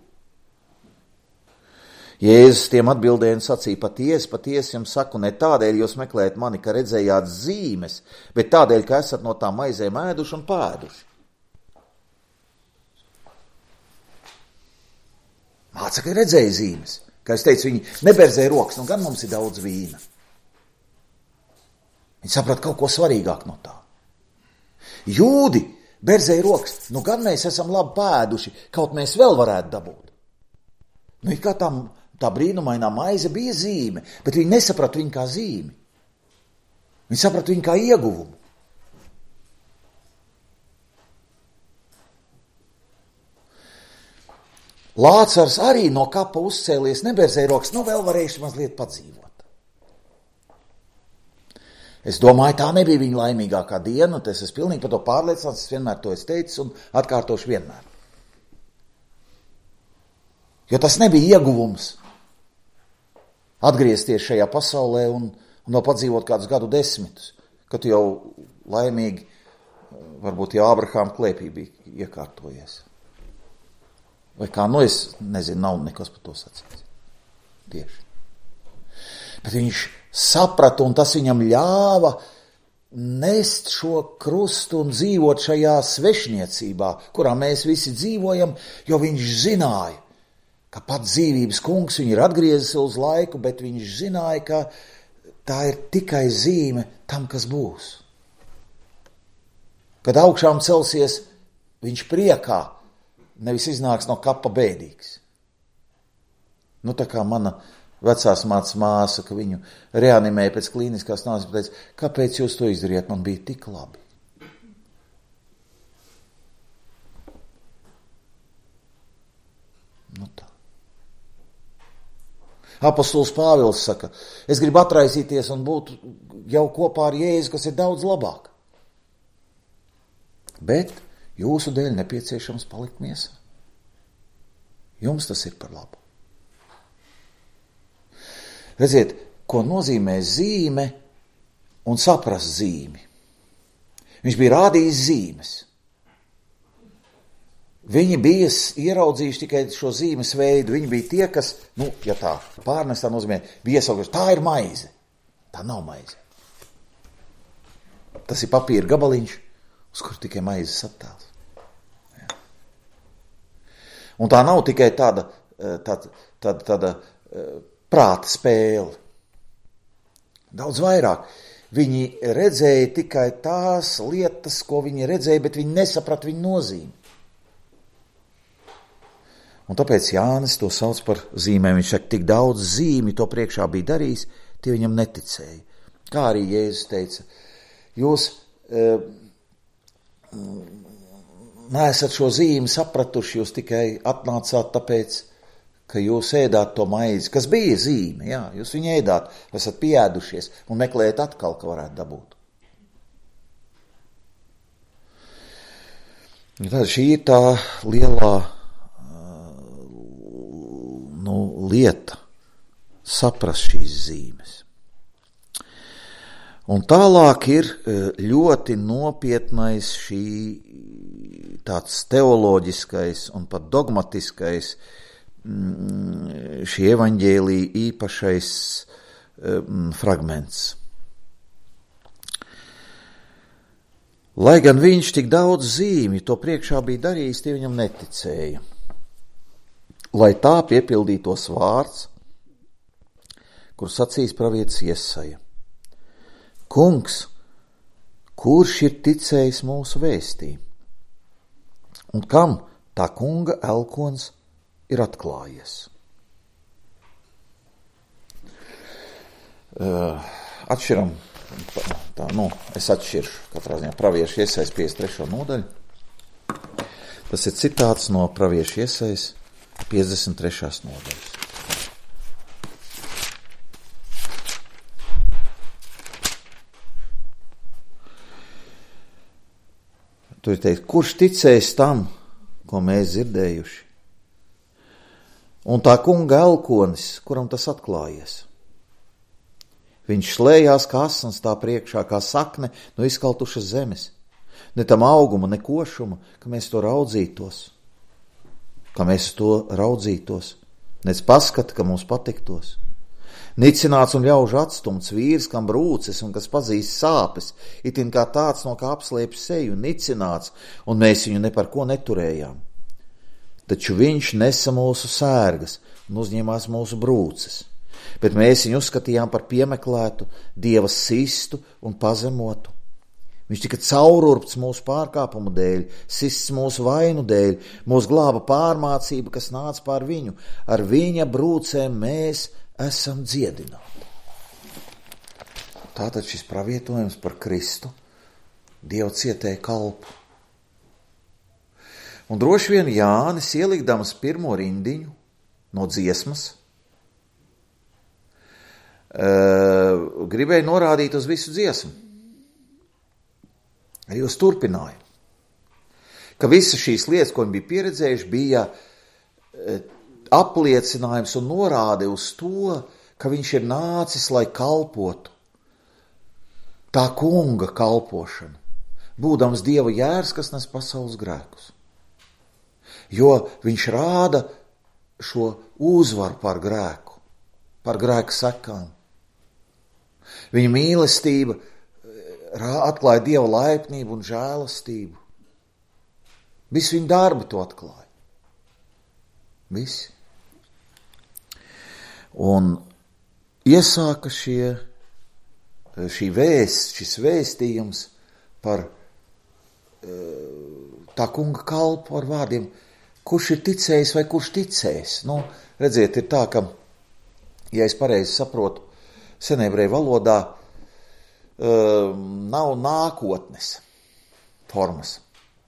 Jēzus tiem atbildēja un sacīja, patiesi, patiesi jums saku, ne tādēļ jūs meklējat mani, ka redzējāt zīmes, bet tādēļ, ka esat no tām maizēm ēduši un pēduši. Mācekļi redzēja zīmes. Kā es teicu, viņi neberzēja rokas, nu gan mums ir daudz vīna. Viņi saprata kaut ko svarīgāk no tā. Jūdi berzēja rokas, nu gan mēs esam labi pēduši, kaut mēs vēl varētu dabūt. Nu, it kā tam, tā brīnumainā maize bija zīme, bet viņi nesaprata viņu kā zīmi. Viņi saprata viņu kā ieguvumu. Lācars arī no kapa uzcēlies, neberzēja rokas, nu vēl varējuši mazliet padzīvot. Es domāju, tā nebija viņa laimīgākā diena, un es esmu pilnīgi par to pārliecināts, es vienmēr to esmu teicis un atkārtošu vienmēr. Jo tas nebija ieguvums atgriezties šajā pasaulē un, un vēl padzīvot kādus gadu desmitus, kad tu jau laimīgi, varbūt jau Ābrahāma klēpī bija iekārtojies. Vai kā, nu es nezinu, nav nekas par to sacīts. Tieši. Bet viņš saprata, un tas viņam ļāva nest šo krustu un dzīvot šajā svešniecībā, kurā mēs visi dzīvojam, jo viņš zināja, ka pat dzīvības kungs viņu ir atgriezis uz laiku, bet viņš zināja, ka tā ir tikai zīme tam, kas būs. Kad augšām celsies, viņš priekā, nevis iznāks no kapa bēdīgs. Nu, tā kā mana vecās mācas māsa, ka viņu reanimēja pēc klīniskās nāves, teica, kāpēc jūs to izdarījāt, man bija tik labi. Nu tā. Apostols Pāvils saka, es gribu atraisīties un būt jau kopā ar Jēzu, kas ir daudz labāk. Bet jūsu dēļ nepieciešams palikt miesā. Jums tas ir par labu. Redziet, ko nozīmē zīme un saprast zīmi. Viņš bija rādījis zīmes. Viņi bija ieraudzījuši tikai šo zīmes veidu. Viņi bija tie, kas, nu, ja tā pārnestā nozīmē, bija iesaukuši, tā ir maize. Tā nav maize. Tas ir papīra gabaliņš, uz kur tikai maizes attēls. Ja. Un tā nav tikai tāda, tāda, tāda, tāda prāta spēle. Daudz vairāk. Viņi redzēja tikai tās lietas, ko viņi redzēja, bet viņi nesaprata viņu nozīmi. Un tāpēc Jānis to sauc par zīmēm. Viņš saka, tik daudz zīmi to priekšā bija darījis, tie viņam neticēja. Kā arī Jēzus teica, jūs e, neesat šo zīmi sapratuši, jūs tikai atnācāt tāpēc, ka jūs ēdāt to maizi, kas bija zīme, jā, jūs viņu ēdāt, esat pieēdušies un meklējat atkal, ka varētu dabūt. Tad šī ir tā lielā nu, lieta, saprast šīs zīmes. Un tālāk ir ļoti nopietnais šī tāds teoloģiskais un pat dogmatiskais šī evaņģēlija īpašais fragments. Lai gan viņš tik daudz zīmju to priekšā bija darījis, tie viņam neticēja. Lai tā piepildītos vārds, kur sacīs pravietis Jesaja. Kungs, kurš ir ticējis mūsu vēstī? Un kam tā kunga elkons ir atklājies? Uh, atšķiram, tā, nu, es atšķiršu katrā ziņā praviešu Jesajas piecdesmit trešo nodaļu. Tas ir citāts no praviešu Jesajas piecdesmit trešās nodaļas. Tur ir teikt, kurš ticēs tam, ko mēs dzirdējuši? Un tā kunga elkonis, kuram tas atklājies. Viņš slējās kā asins tā priekšā, kā sakne no izkaltušas zemes. Ne tam auguma, ne košuma, ka mēs to raudzītos. Ka mēs to raudzītos. Nec paskata, ka mums patiktos. Nicināts un ļaužu atstumts vīrs, kam brūces un kas pazīst sāpes, itin kā tāds, no kā apslēp seju, nicināts, un mēs viņu ne par ko neturējām. Taču viņš nesa mūsu sērgas un uzņēmās mūsu brūces, bet mēs viņu uzskatījām par piemeklētu, Dieva sistu un pazemotu. Viņš tika caururpts mūsu pārkāpumu dēļ, sists mūsu vainu dēļ, mūs glāba pārmācība, kas nāca pār viņu. Ar viņa brūcēm mēs esam dziedināti. Tātad šis pravietojums par Kristu, Dieva cietēja kalpu. Un droši vien Jānis, ielikdams pirmo rindiņu no dziesmas, uh, gribēja norādīt uz visu dziesmu. Arī uz turpinājumu. Ka visas šīs lietas, ko viņi bija pieredzējuši, bija apliecinājums un norāde uz to, ka viņš ir nācis, lai kalpotu. Tā kunga kalpošana, būdams Dieva jērs, kas nes pasaules grēkus. Jo viņš rāda šo uzvaru par grēku, par grēku sekām. Viņa mīlestība atklāja Dieva laipnību un žēlastību. Visi viņa darbi to atklāja. Visi. Un iesāka šie, šī vēsts, šis vēstījums par tā kunga kalpu ar vārdiem, kurš ir ticējis vai kurš ticējis. Nu, redziet, ir tā, ka, ja es pareizi saprotu, senebreju valodā nav nākotnes formas.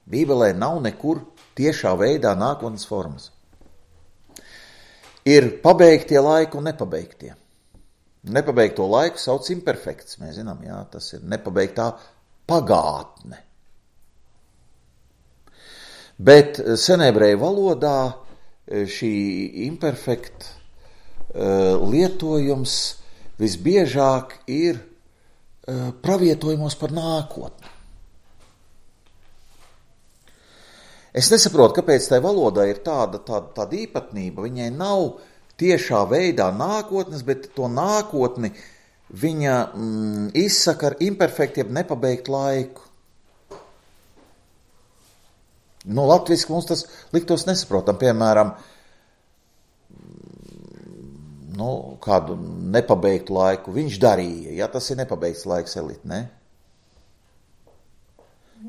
Bībelē nav nekur tiešā veidā nākotnes formas. Ir pabeigtie laiki un nepabeigtie. Nepabeigto laiku sauc imperfekts. Mēs zinām, jā, tas ir nepabeigtā pagātne. Bet senebreju valodā šī imperfekta lietojums visbiežāk ir pravietojumos par nākotni. Es nesaprotu, kāpēc tai valodai ir tāda, tāda, tāda īpatnība. Viņai nav tiešā veidā nākotnes, bet to nākotni viņa mm, izsaka ar imperfektiem nepabeigtu laiku. Nu, latviski mums tas liktos nesaprotam. Piemēram, nu, kādu nepabeigtu laiku viņš darīja. Ja tas ir nepabeigts laiks, Elita, ne?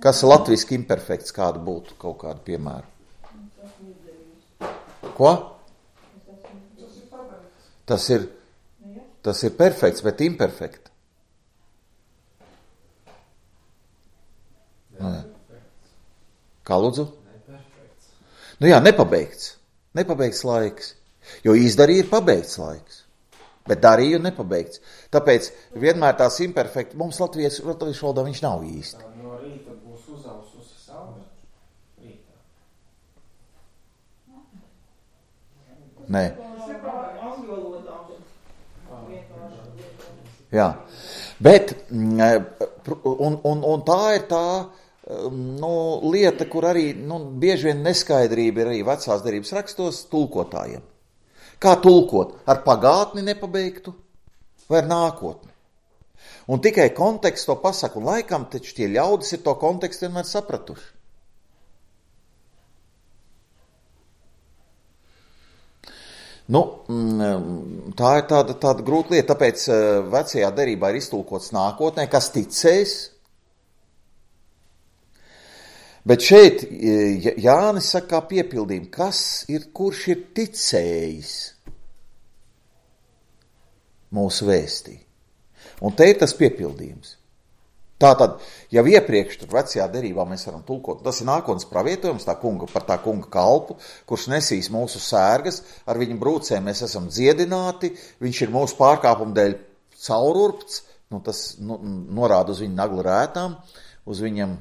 Kas ir latviski imperfekts, kādu būtu kaut kādu piemēru? Ko? Tas ir, tas ir perfekts, bet imperfekts. Nu, kā lūdzu? Nu jā, nepabeigts. Nepabeigts laiks. Jo izdarīja ir pabeigts laiks, bet darīja nepabeigts. Tāpēc vienmēr tās imperfekti, mums latviešu, latviešu valodā viņš nav īsti. No rīta būs uzaususi saule? Rītā. Nē. Jā, bet un, un, un tā ir tā nu, lieta, kur arī nu, bieži vien neskaidrība ir arī vecās derības rakstos tulkotājiem. Kā tulkot? Ar pagātni nepabeigtu vai ar nākotni? Un tikai konteksts to pasaka, un laikam taču tie ļaudis ir to kontekstu vienmēr sapratuši. Nu, tā ir tāda, tāda grūta lieta, tāpēc vecajā derībā ir iztulkots nākotnē, kas ticēs. Bet šeit Jānis saka kā piepildījumu, kas ir, kurš ir ticējis mūsu vēstī. Un te ir tas piepildījums. Tātad, jau iepriekš tur vecajā derībā mēs varam tulkot, tas ir nākotnes pravietojums tā kunga, par tā kunga kalpu, kurš nesīs mūsu sērgas, ar viņu brūcēm mēs esam dziedināti, viņš ir mūsu pārkāpumu dēļ caururpts, nu, tas nu, norāda uz viņu naglu rētām, uz viņam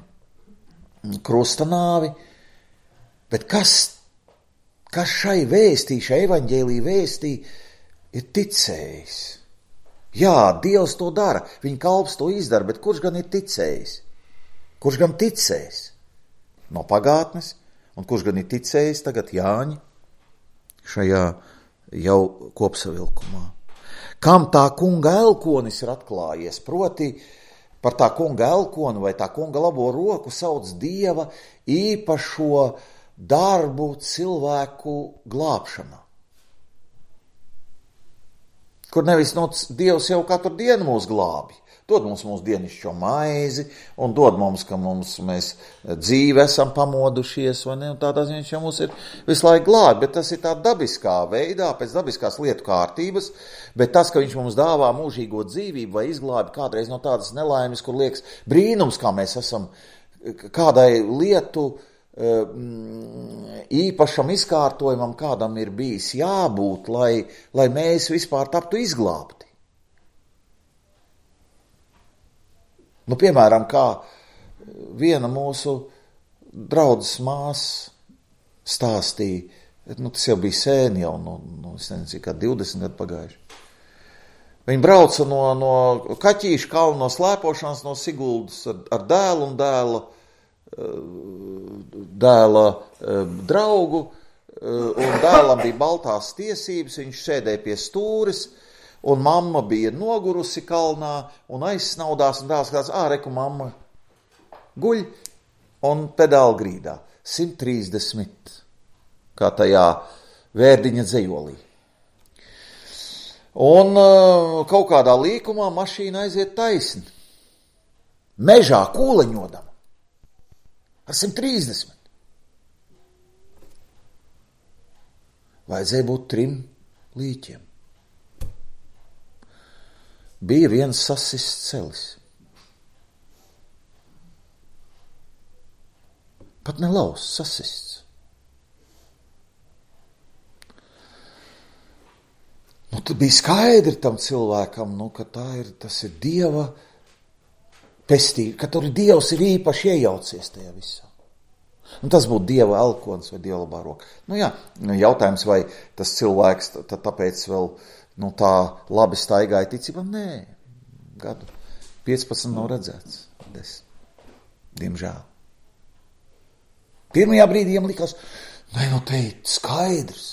krusta nāvi, bet kas, kas šai vēstī, šai evaņģēlī vēstī ir ticējis? Jā, Dievs to dara, viņa kalps to izdara, bet kurš gan ir ticējis? Kurš gan ticējis? No pagātnes, un kurš gan ir ticējis tagad Jāņa šajā jau kopsavilkumā? Kam tā kunga elkonis ir atklājies, proti par tā kunga elkonu vai tā kunga labo roku sauc Dieva īpašo darbu cilvēku glābšanā. kur nevis no Dievs jau katru dienu mūs glābi. Dod mums mūsu dienišķo maizi, un dod mums, ka mums mēs dzīvi esam pamodušies, vai ne, un tādā ziņā viņš jau mums ir visu laiku glābi, bet tas ir tā dabiskā veidā, pēc dabiskās lietu kārtības, bet tas, ka viņš mums dāvā mūžīgo dzīvību vai izglābi kādreiz no tādas nelaimes, kur liekas brīnums, kā mēs esam kādai lietu īpašam izkārtojumam, kādam ir bijis jābūt, lai, lai mēs vispār taptu izglābti. Nu, piemēram, kā viena mūsu draudzes māsa stāstīja, nu, tas jau bija sēni jau, nu, nu es nezinu, kā divdesmit gadu pagājuši. Viņa brauca no, no Kaķīša kalna, no slēpošanas, no Siguldas ar, ar dēlu un dēla, dēla draugu, un dēlam bija baltās tiesības, viņš sēdēja pie stūres, un mamma bija nogurusi kalnā un aizsnaudās, un dēls skatās, ā, reku mamma guļ un pedāli grīdā. simt trīsdesmit, kā tajā Vērdiņa dzejolī. Un uh, kaut kādā līkumā mašīna aiziet taisni. Mežā kūleņodama. Ar simt trīsdesmit. Vajadzēja būt trim līķiem. Bija viens sasists celis. Pat ne laus, sasists. Nu, tad bija skaidri tam cilvēkam, nu, ka tā ir, tas ir Dieva pestība, ka tur Dievs ir īpaši iejaucies tajā visā. Un tas būtu Dieva elkons vai Dieva labā roka. Nu jā, jautājums, vai tas cilvēks tā, tāpēc vēl nu, tā labi staigāja ticībā? Nē, gadu piecpadsmit nav redzēts. desmit. Diemžēl. Pirmajā brīdī jiem likās, nē, nu te ir skaidrs.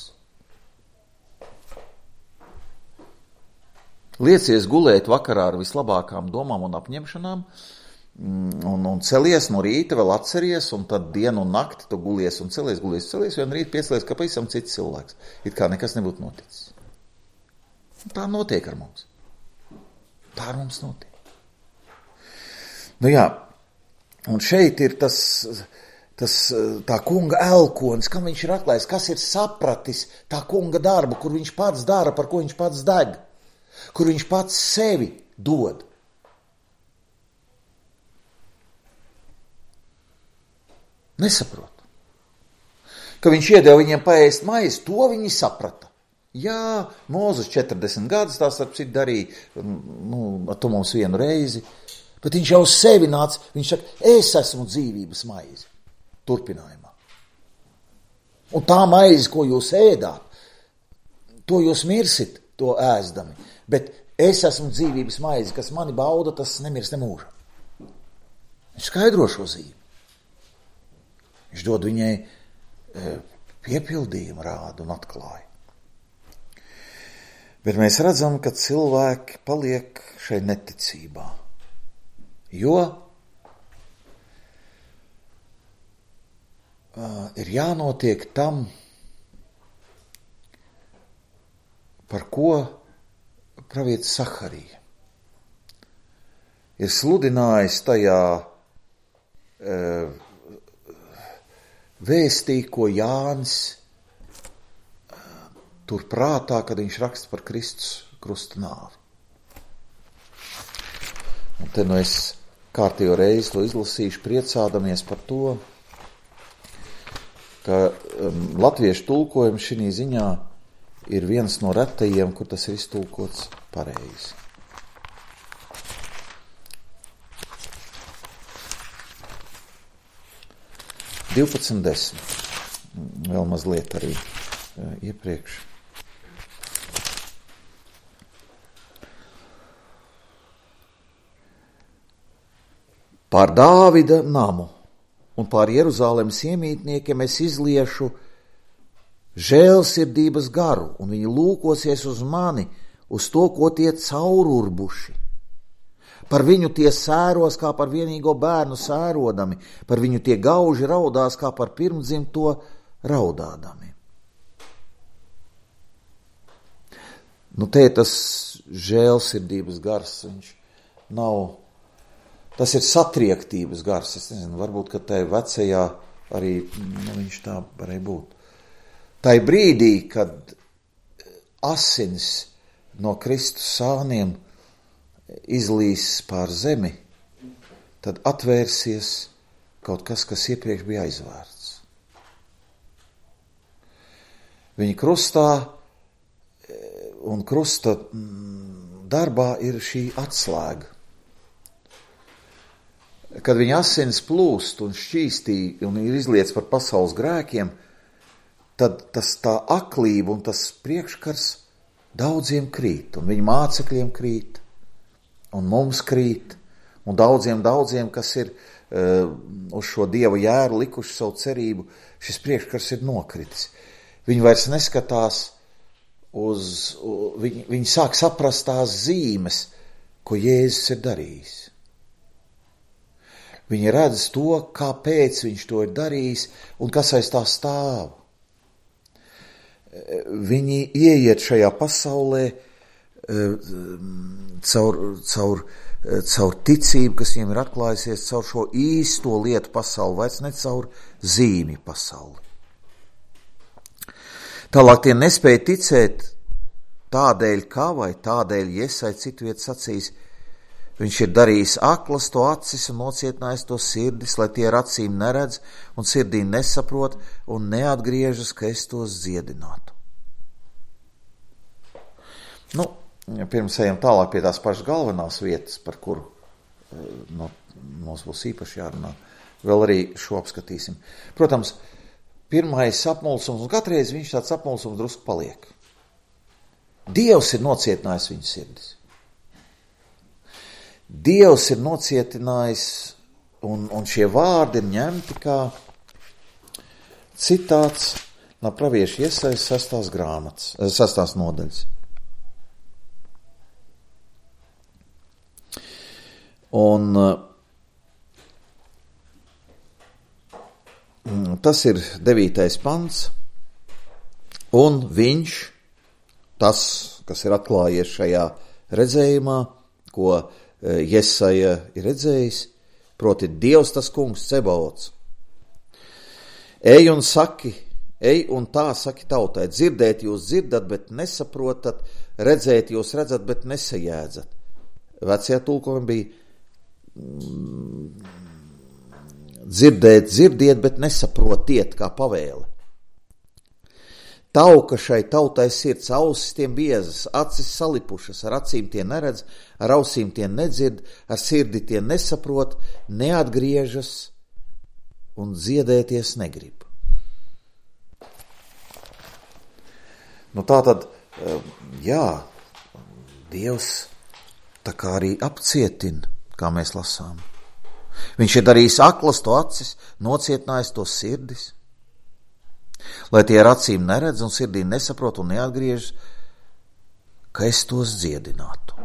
Liecies gulēt vakarā ar vislabākām domām un apņemšanām, un, un celies no rīta, vēl atceries, un tad dienu un nakti tu gulies un celies, gulies, celies, un rīt piecelies, ka pavisam cits cilvēks. It kā nekas nebūtu noticis. Tā notiek ar mums. Tā ar mums notiek. Nu jā, un šeit ir tas, tas tā kunga elkonis, kam viņš ir atklājis, kas ir sapratis tā kunga darbu, kur viņš pats dara, par ko viņš pats deg, kur viņš pats sevi dod. Nesaprot. Ka viņš iedeva viņiem paēst maizi, to viņi saprata. Jā, Mūzes četrdesmit gadus tās ar citu darīja, nu, ar to mums vienu reizi, bet viņš jau uz sevi nāca, viņš saka, es esmu dzīvības maize, turpinājumā. Un tā maize, ko jūs ēdāt, to jūs mirsit, to ēzdami, bet es esmu dzīvības maize, kas mani bauda, tas nemirst nemūžam. Viņš skaidro šo zīmi. Viņš dod viņai piepildījumu rādu un atklāja. Bet mēs redzam, ka cilvēki paliek šai neticībā, jo uh, ir jānotiek tam, par ko pravietis Saharija ir sludinājis tajā uh, vēstī, ko Jānis tur prātā, kad viņš raksta par Kristus krusta nāvi. Un te nu es kārtīgo reizi to izlasīšu, priecādamies par to, ka um, latviešu tulkojums šī ziņā ir viens no retajiem, kur tas ir iztulkots pareizi. divpadsmit desmit. Vēl mazliet arī uh, iepriekš. Pār Dāvida namu un pār Jeruzālemes iemītniekiem es izliešu žēlsirdības garu, un viņi lūkosies uz mani, uz to, ko tie caururbuši. Par viņu tie sēros, kā par vienīgo bērnu sērodami, par viņu tie gauži raudās, kā par pirmdzimto raudādami. Nu, te ir tas žēlsirdības gars, viņš nav, tas ir satriektības gars, es nezinu, varbūt, ka tai vecajā arī, nu, viņš tā varēja būt. Tai brīdī, kad asins no Kristus sāniem izlīs pār zemi, tad atvērsies kaut kas, kas iepriekš bija aizvērts. Viņa krustā un krusta darbā ir šī atslēga. Kad viņa asins plūst un šķīstī un ir izliets par pasaules grēkiem, tad tas tā aklība un tas priekškars daudziem krīt, un viņa mācekļiem krīt, un mums krīt, un daudziem, daudziem, kas ir uh, uz šo Dieva jēru likuši savu cerību, šis priekškars ir nokritis. Viņi vairs neskatās uz, uh, viņi, viņi sāk saprast tās zīmes, ko Jēzus ir darījis. Viņi redz to, kāpēc viņš to ir darījis, un kas aiz tā stāv. Viņi ieiet šajā pasaulē caur, caur, caur ticību, kas viņiem ir atklājusies, caur šo īsto lietu pasauli, vairs ne caur zīmju pasauli. Tālāk tie nespēja ticēt tādēļ, kā vai tādēļ, Iesai citu vietu sacīs, viņš ir darījis aklas to acis un nocietinājis to sirdis, lai tie ar acīm neredz un sirdī nesaprot un neatgriežas, ka es tos dziedinātu. Nu, pirms ejam tālāk pie tās pašas galvenās vietas, par kuru nu, mums būs īpaši jārunā, vēl arī šo apskatīsim. Protams, pirmais apmulsums, un katreiz viņš tāds apmulsums drusku paliek. Dievs ir nocietinājis viņu sirdis. Dievs ir nocietinājis, un, un šie vārdi ir ņemti kā citāts no pravieša Iesaijas sastās grāmatas, sastās nodaļas. Un tas ir devītais pants, un viņš, tas, kas ir atklājies šajā redzējumā, ko Jesaja ir redzējis, proti Dievs tas kungs Cebaots. Ej un saki, ej un tā saki tautai, dzirdēt jūs dzirdat, bet nesaprotat, redzēt jūs redzat, bet nesajēdzat. Vecajā tulkojumā bija dzirdēt, dzirdiet, bet nesaprotiet, kā pavēle. Tauka šai tautai sirds, ausis tiem biezas, acis salipušas, ar acīm tie neredz, ar ausīm tie nedzird, ar sirdi tie nesaprot, neatgriežas un dziedēties negrib. Nu tā tad, jā, Dievs tā kā arī apcietina, kā mēs lasām. Viņš ir darījis aklas to acis, nocietinājis to sirdis, lai tie ar acīm neredz un sirdī nesaprot un neatgriežas, ka es tos dziedinātu.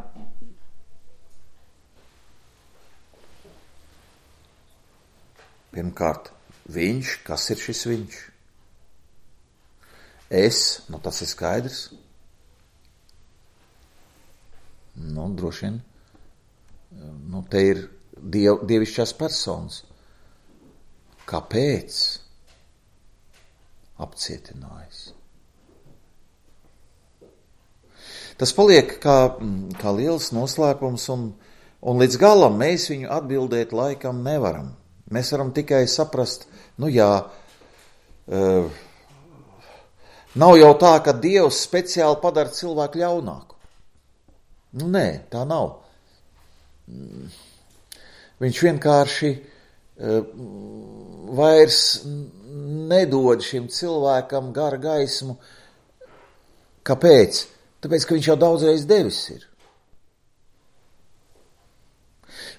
Pirmkārt, viņš, kas ir šis viņš? Es, nu tas ir skaidrs. Nu, droši vien, nu te ir diev, dievišķās personas. Kāpēc? Apcietinājis. Tas paliek kā, kā liels noslēpums, un, un līdz galam mēs viņu atbildēt laikam nevaram. Mēs varam tikai saprast, nu jā, uh, nav jau tā, ka Dievs speciāli padara cilvēku ļaunāku. Nu nē, tā nav. Viņš vienkārši uh, vairs nedod šim cilvēkam gara gaismu. Kāpēc? Tāpēc, ka viņš jau daudzreiz devis ir.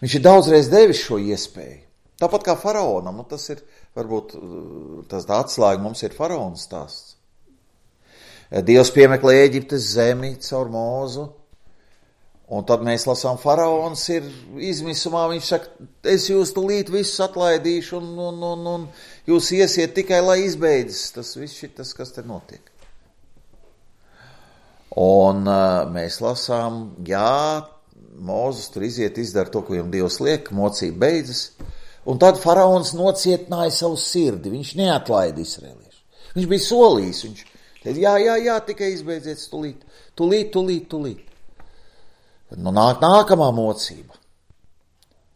Viņš ir daudzreiz devis šo iespēju. Tāpat kā faraonam, nu tas ir, varbūt, tas tā atslēga mums ir faraona stāsts. Dievs piemeklē Ēģiptes zemi caur Mūzu, un tad mēs lasām, faraons ir izmisumā, viņš saka, es jūs tulīt visus atlaidīšu, un, un, un, un jūs iesiet tikai, lai izbeidzas tas viss šitas, kas te notiek. Un uh, mēs lasām, jā, Mūzes tur iziet, izdara to, ko viņam Dievs liek, mocība beidzas, un tad faraons nocietināja savu sirdi, viņš neatlaida Izraēliešu. Viņš bija solījis, viņš teica, jā, jā, jā, tikai izbeidziet tulīt, tulīt, tulīt, tulīt. Nu, nāk nākamā mocība.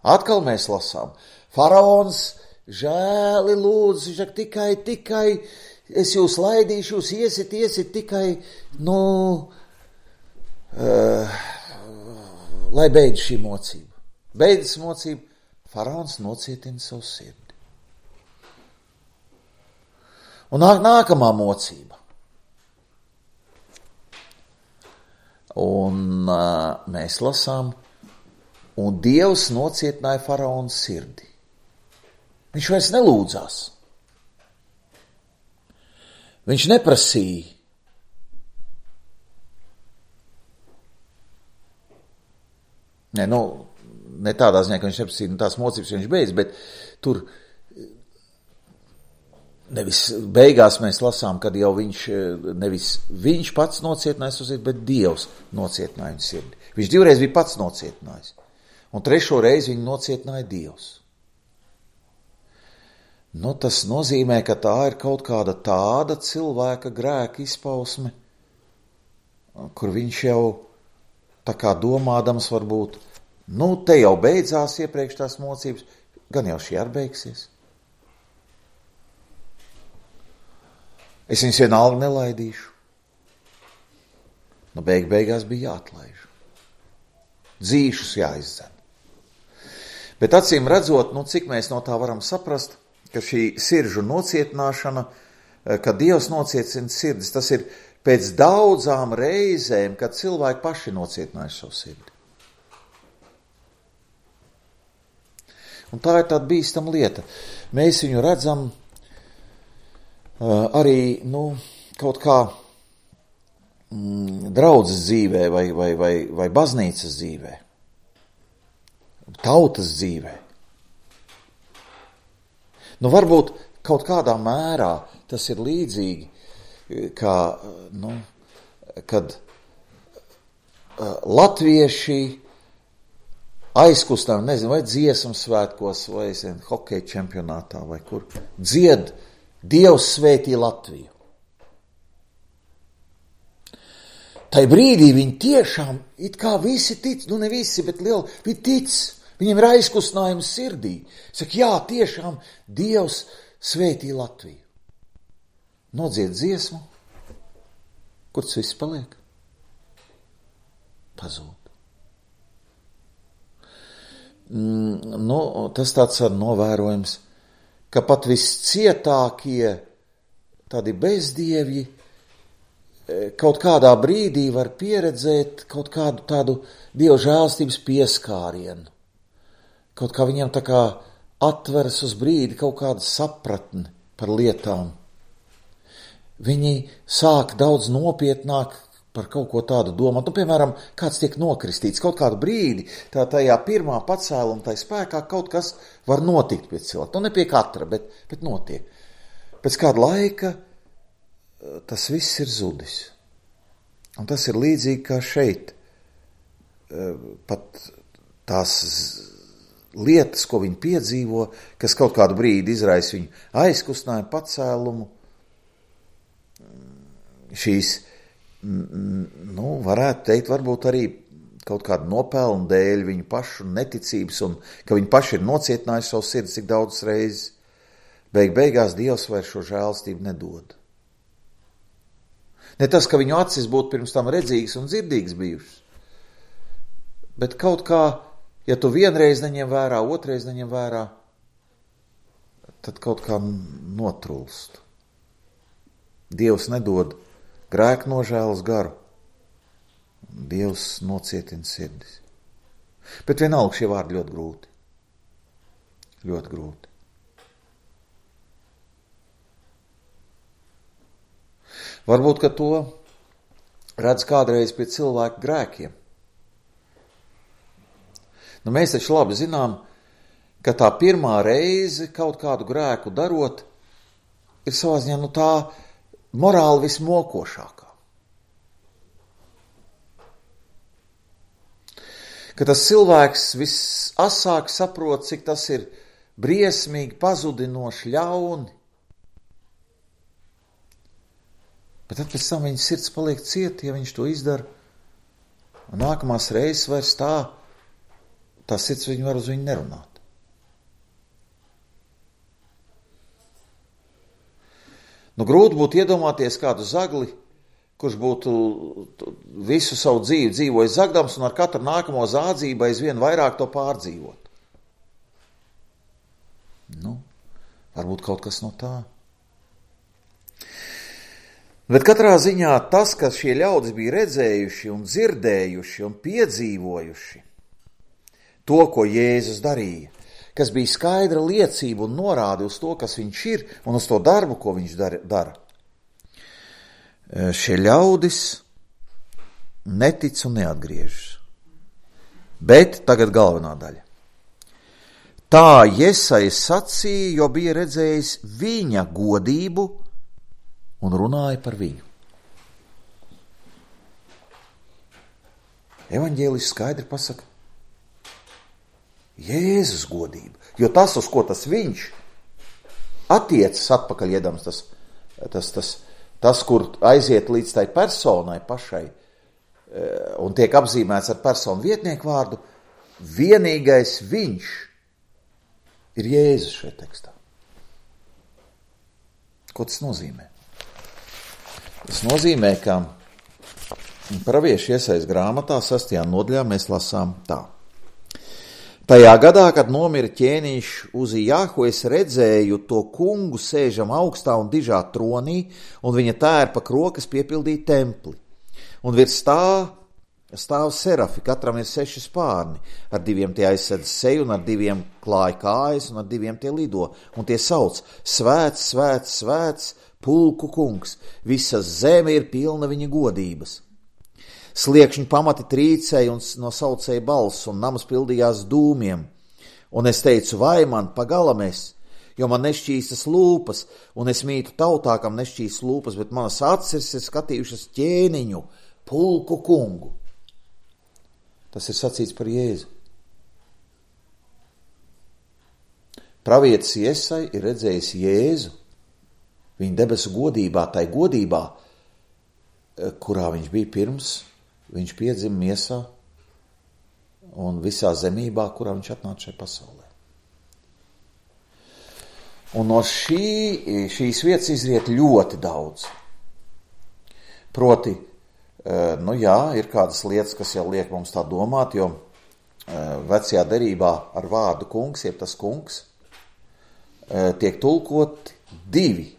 Atkal mēs lasām, faraons žēli lūdzu, viņš saka, tikai, tikai, es jūs laidīšu, jūs iesit, iesit tikai, nu, uh, lai beidz šī mocība. Beidzas mocība, faraons nocietina savu sirdi. Un nāk nākamā mocība. Un uh, mēs lasām, un Dievs nocietināja faraona sirdi. Viņš vairs nelūdzās. Viņš neprasīja. Ne, nu, ne tādā ziņā, ka viņš neprasīja, nu, tās mocības viņš beidz, bet tur nevis beigās mēs lasām, kad jau viņš, nevis viņš pats nocietināja savu sirdi, bet Dievs nocietināja viņa sirdi. Viņš divreiz bija pats nocietinājis, un trešo reizi viņu nocietināja Dievs. Nu, tas nozīmē, ka tā ir kaut kāda tāda cilvēka grēka izpausme, kur viņš jau tā kā domādams varbūt, nu, te jau beidzās iepriekš tās mocības, gan jau šī arī beigsies. Es viņus vienalga nelaidīšu. Nu, beig beigās bija jāatlaiž. Dzīšus jāizdzen. Bet acīm redzot, nu, cik mēs no tā varam saprast, ka šī siržu nocietināšana, kad Dievs nocietina sirdis, tas ir pēc daudzām reizēm, kad cilvēki paši nocietinājuši savu sirdi. Un tā ir tāda bīstama lieta. Mēs viņu redzam arī, nu, kaut kā mm, draudzes dzīvē vai, vai, vai, vai baznīcas dzīvē, tautas dzīvē. Nu, varbūt kaut kādā mērā tas ir līdzīgi, kā, nu, kad uh, latvieši aizkustam, nezinu, vai dziesmu svētkos, vai es nezinu, hokeja čempionātā, vai kur, dzied Dievs svētī Latviju. Tai brīdī viņi tiešām, it kā visi tic, nu ne visi, bet liela, viņi tic. Viņam ir aizkustinājums sirdī. Saka, jā, tiešām Dievs svētī Latviju. Nodzied dziesmu. Kur tas viss paliek? Pazūd. Mm, nu, tas tāds ar novērojums, ka pat viscietākie tādi bezdievji kaut kādā brīdī var pieredzēt kaut kādu tādu Dieva žēlstības pieskārienu. Kaut kā viņam tā kā atveras uz brīdi kaut kāda sapratne par lietām. Viņi sāk daudz nopietnāk par kaut ko tādu domāt. Nu, piemēram, kāds tiek nokristīts kaut kādu brīdi, tā tajā pirmā pacēluma tai spēkā kaut kas var notikt pie cilvēka. Nu, ne pie katra, bet, bet notiek. Pēc kāda laika tas viss ir zudis. Un tas ir līdzīgi kā šeit. Pat tās lietas, ko viņi piedzīvo, kas kaut kādu brīdi izraisa viņu aizkustinājumu, pacēlumu, šīs, nu, varētu teikt, varbūt arī kaut kādu nopelnu dēļ viņu pašu neticības un ka viņi paši ir nocietinājuši savu sirdi cik daudzas reizes, beig beigās Dievs vairs šo žēlstību nedod. Ne tas, ka viņu acis būtu pirms tam redzīgas un dzirdīgas bijušas, bet kaut kā, ja tu vienreiz neņem vērā, otrais neņem vērā, tad kaut kā notrulst. Dievs nedod grēku nožēlas garu. Dievs nocietina sirdis. Bet vienalga šie vārdi ļoti grūti. Ļoti grūti. Varbūt, ka to redz kādreiz pie cilvēku grēkiem. Nu, mēs taču labi zinām, ka tā pirmā reize kaut kādu grēku darot ir savā ziņā, nu, tā morāli vismokošākā. ka tas cilvēks visasāk saprot, cik tas ir briesmīgi, pazudinoši, ļauni. Bet tad pēc tam viņa sirds paliek cieta, ja viņš to izdara. Un nākamās reizes vairs tā, tā sirds viņu var uz viņu nerunāt. Nu, grūti būtu iedomāties kādu zagli, kurš būtu visu savu dzīvi dzīvojis zagdams un ar katru nākamo zādzību aizvien vairāk to pārdzīvot. Nu, varbūt kaut kas no tā. Bet katrā ziņā tas, ka šie ļaudis bija redzējuši un dzirdējuši un piedzīvojuši to, ko Jēzus darīja, kas bija skaidra liecība un norāde uz to, kas viņš ir un uz to darbu, ko viņš dara. Šie ļaudis netic un neatgriežas. Bet tagad galvenā daļa. Tā Jesaja sacīja, jo bija redzējis viņa godību un runāja par viņu. Evaņģēlis skaidri pasaka Jēzus godību, jo tas, uz ko tas viņš attiecas atpakaļ iedams, tas, tas, tas, tas, kur aiziet līdz tai personai pašai un tiek apzīmēts ar personu vietnieku vārdu, vienīgais viņš ir Jēzus šajā tekstā. Ko tas nozīmē? Tas nozīmē, ka praviešu Iesajas grāmatā sastajā nodaļā mēs lasām tā. Tajā gadā, kad nomira ķēniņš Uzijahu, es redzēju to kungu sēžam augstā un dižā tronī, un viņa tērpa krokas piepildīja templi. Un virs tā stāv serafi, katram ir seši spārni, ar diviem tie aizsedz seju, un ar diviem klāja kājas, un ar diviem tie lido. Un tie sauc: Svēts, svēts, svēts, pulku kungs, visa zeme ir pilna viņa godības. Sliekšņi pamati trīcēja un nosaucēja balss, un namas pildījās dūmiem. Un es teicu, vai man pagalam es, jo man nešķīstas lūpas, un es mītu tautā, kam nešķīstas lūpas, bet manas acis ir skatījušas ķēniņu, pulku kungu. Tas ir sacīts par Jēzu. Pravietis Jesaja ir redzējis Jēzu, viņa debesu godībā, tai godībā, kurā viņš bija pirms viņš piedzima miesā un visā zemībā, kurā viņš atnāca šai pasaulē. Un no šī, šīs vietas izriet ļoti daudz. Proti, nu jā, ir kādas lietas, kas jau liek mums tā domāt, jo vecajā derībā ar vārdu kungs, jeb tas kungs, tiek tulkoti divi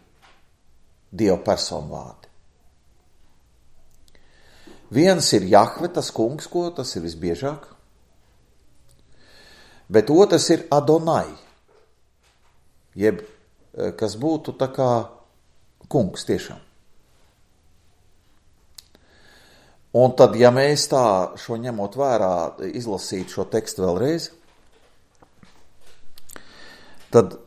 Dieva personu vārdi. Viens ir Jahve, tas kungs, ko tas ir visbiežāk, bet otrs ir Adonai, jeb kas būtu tā kā kungs tiešām. Un tad, ja mēs tā šo ņemot vērā, izlasīt šo tekstu vēlreiz, tad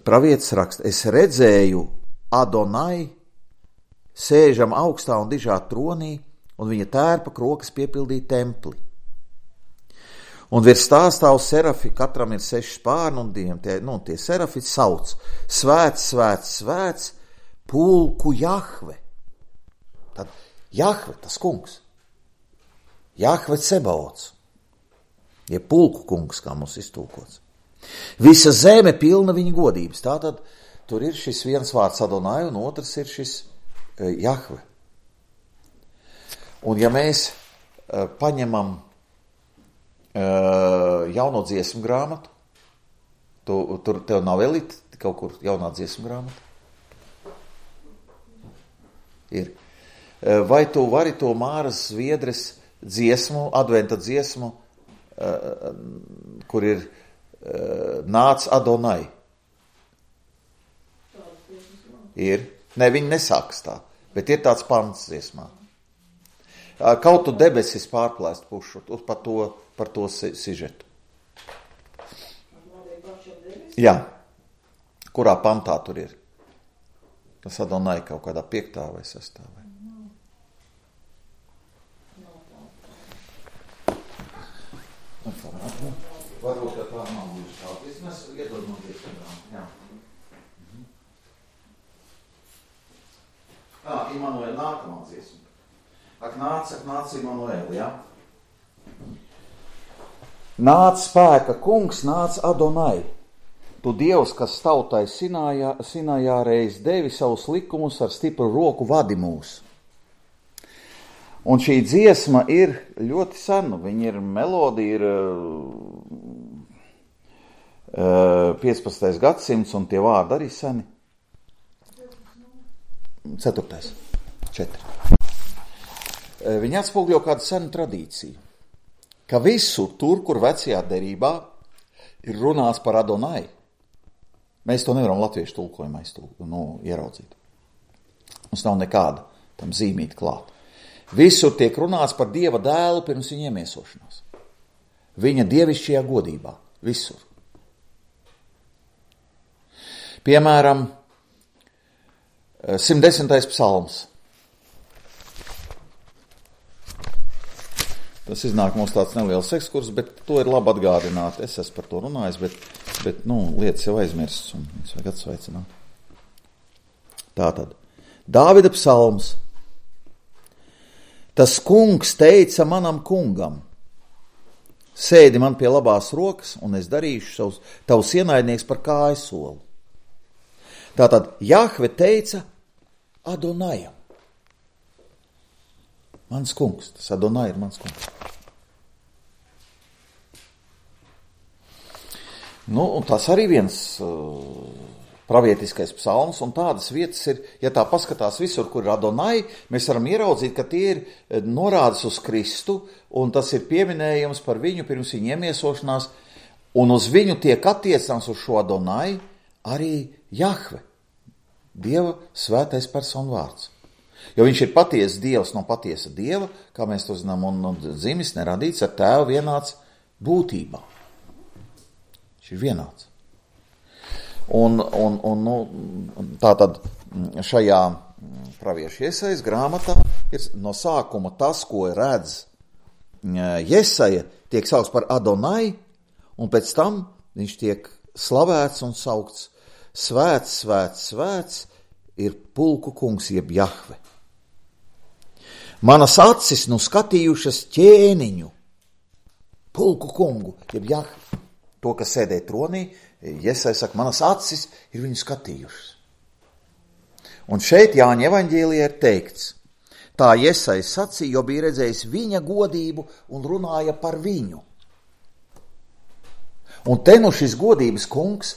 pravietis raksta, es redzēju Adonai sēžam augstā un dižā tronī, un viņa tērpa krokas piepildīja templi. Un virs tā stāv serafi, katram ir seši spārni, un diviem tie, nu, tie serafi sauc: Svēts, svēts, svēts, pulku Jahve. Tad Jahve, tas kungs. Jahve Cebaots. Ja pulku kungs, kā mums iztulkots. Visa zeme pilna viņa godības. Tātad tur ir šis viens vārds Adonai, un otrs ir šis uh, Jahve. Un ja mēs uh, paņemam uh, jauno dziesmu grāmatu, tu, tur tev nav elita kaut kur jaunā dziesmu grāmata? Ir. Uh, vai tu vari to Māras Zviedres dziesmu, adventa dziesmu, uh, kur ir uh, Nāc Adonai? Ir. Ne, viņi nesāks tā, bet ir tāds pants dziesmā. Kaut tu debesis pārplēst pušu par to, par to sižetu. Jā. Kurā pantā tur ir? Tas Adonai kaut kādā piektā vai sestā vai? Varbūt, ka tā nav bijuši tā. Vismaz iedod man dziesmu. Jā. Tā, Imanuēl nākamā dziesma. Ak nāc, ak nāc Imanuēl, jā? Nāc spēka kungs, nāc Adonai. Tu Dievs, kas tautai Sinājā, Sinājā reiz devi savus likumus ar stipru roku vadi mūs. Un šī dziesma ir ļoti sena. Viņa ir melodija, ir uh, piecpadsmitais gadsimts, un tie vārdi arī seni. Ceturtais. Četri. Uh, viņa atspogļo kādu senu tradīciju, ka visur tur, kur vecajā derībā ir runāts par Adonai, mēs to nevaram latviešu tulkojumā nu, ieraudzīt. Mums nav nekāda tam zīmīta klāta. Visur tiek runāts par Dieva dēlu pirms viņa iemiesošanās. Viņa dievišķajā godībā. Visur. Piemēram, simt desmitais psalms. Tas iznāk mums tāds neliels ekskurs, bet to ir labi atgādināt. Es esmu par to runājis, bet, bet nu, lietas jau aizmirsts un es vajag atsveicināt. Tātad. Dāvida psalms. Tas kungs teica manam kungam, sēdi man pie labās rokas, un es darīšu savus, tavus ienaidnieks par kājsoli. Tātad Jahve teica Adonajam. Mans kungs, tas Adonai ir mans kungs. Nu, un tas arī viens uh, pravietiskais psalms, un tādas vietas ir, ja tā paskatās visur, kur ir Adonai, mēs varam ieraudzīt, ka tie ir norādes uz Kristu, un tas ir pieminējums par viņu pirms viņa iemiesošanās, un uz viņu tiek attiecams uz šo Adonai arī Jahve, Dieva svētais personu vārds. Jo viņš ir patiesa Dievs no patiesa Dieva, kā mēs to zinām, un, un dzimis neradīts ar tēvu vienāds būtībā. Viņš ir vienāds. Un, un, un nu, tātad šajā praviešu Jesajas grāmatā ir no sākuma tas, ko redz Jesaja, tiek saukts par Adonai, un pēc tam viņš tiek slavēts un saukts svēts, svēts, svēts, ir pulku kungs jeb Jahve. Manas acis nu skatījušas ķēniņu, pulku kungu jeb Jahve, to, kas sēdē tronī. Jesaja saka, manas acis ir viņu skatījušas. Un šeit Jāņa evaņģēlijā ir teikts, tā Jesaja sacīja, jo bija redzējis viņa godību un runāja par viņu. Un te nu šis godības kungs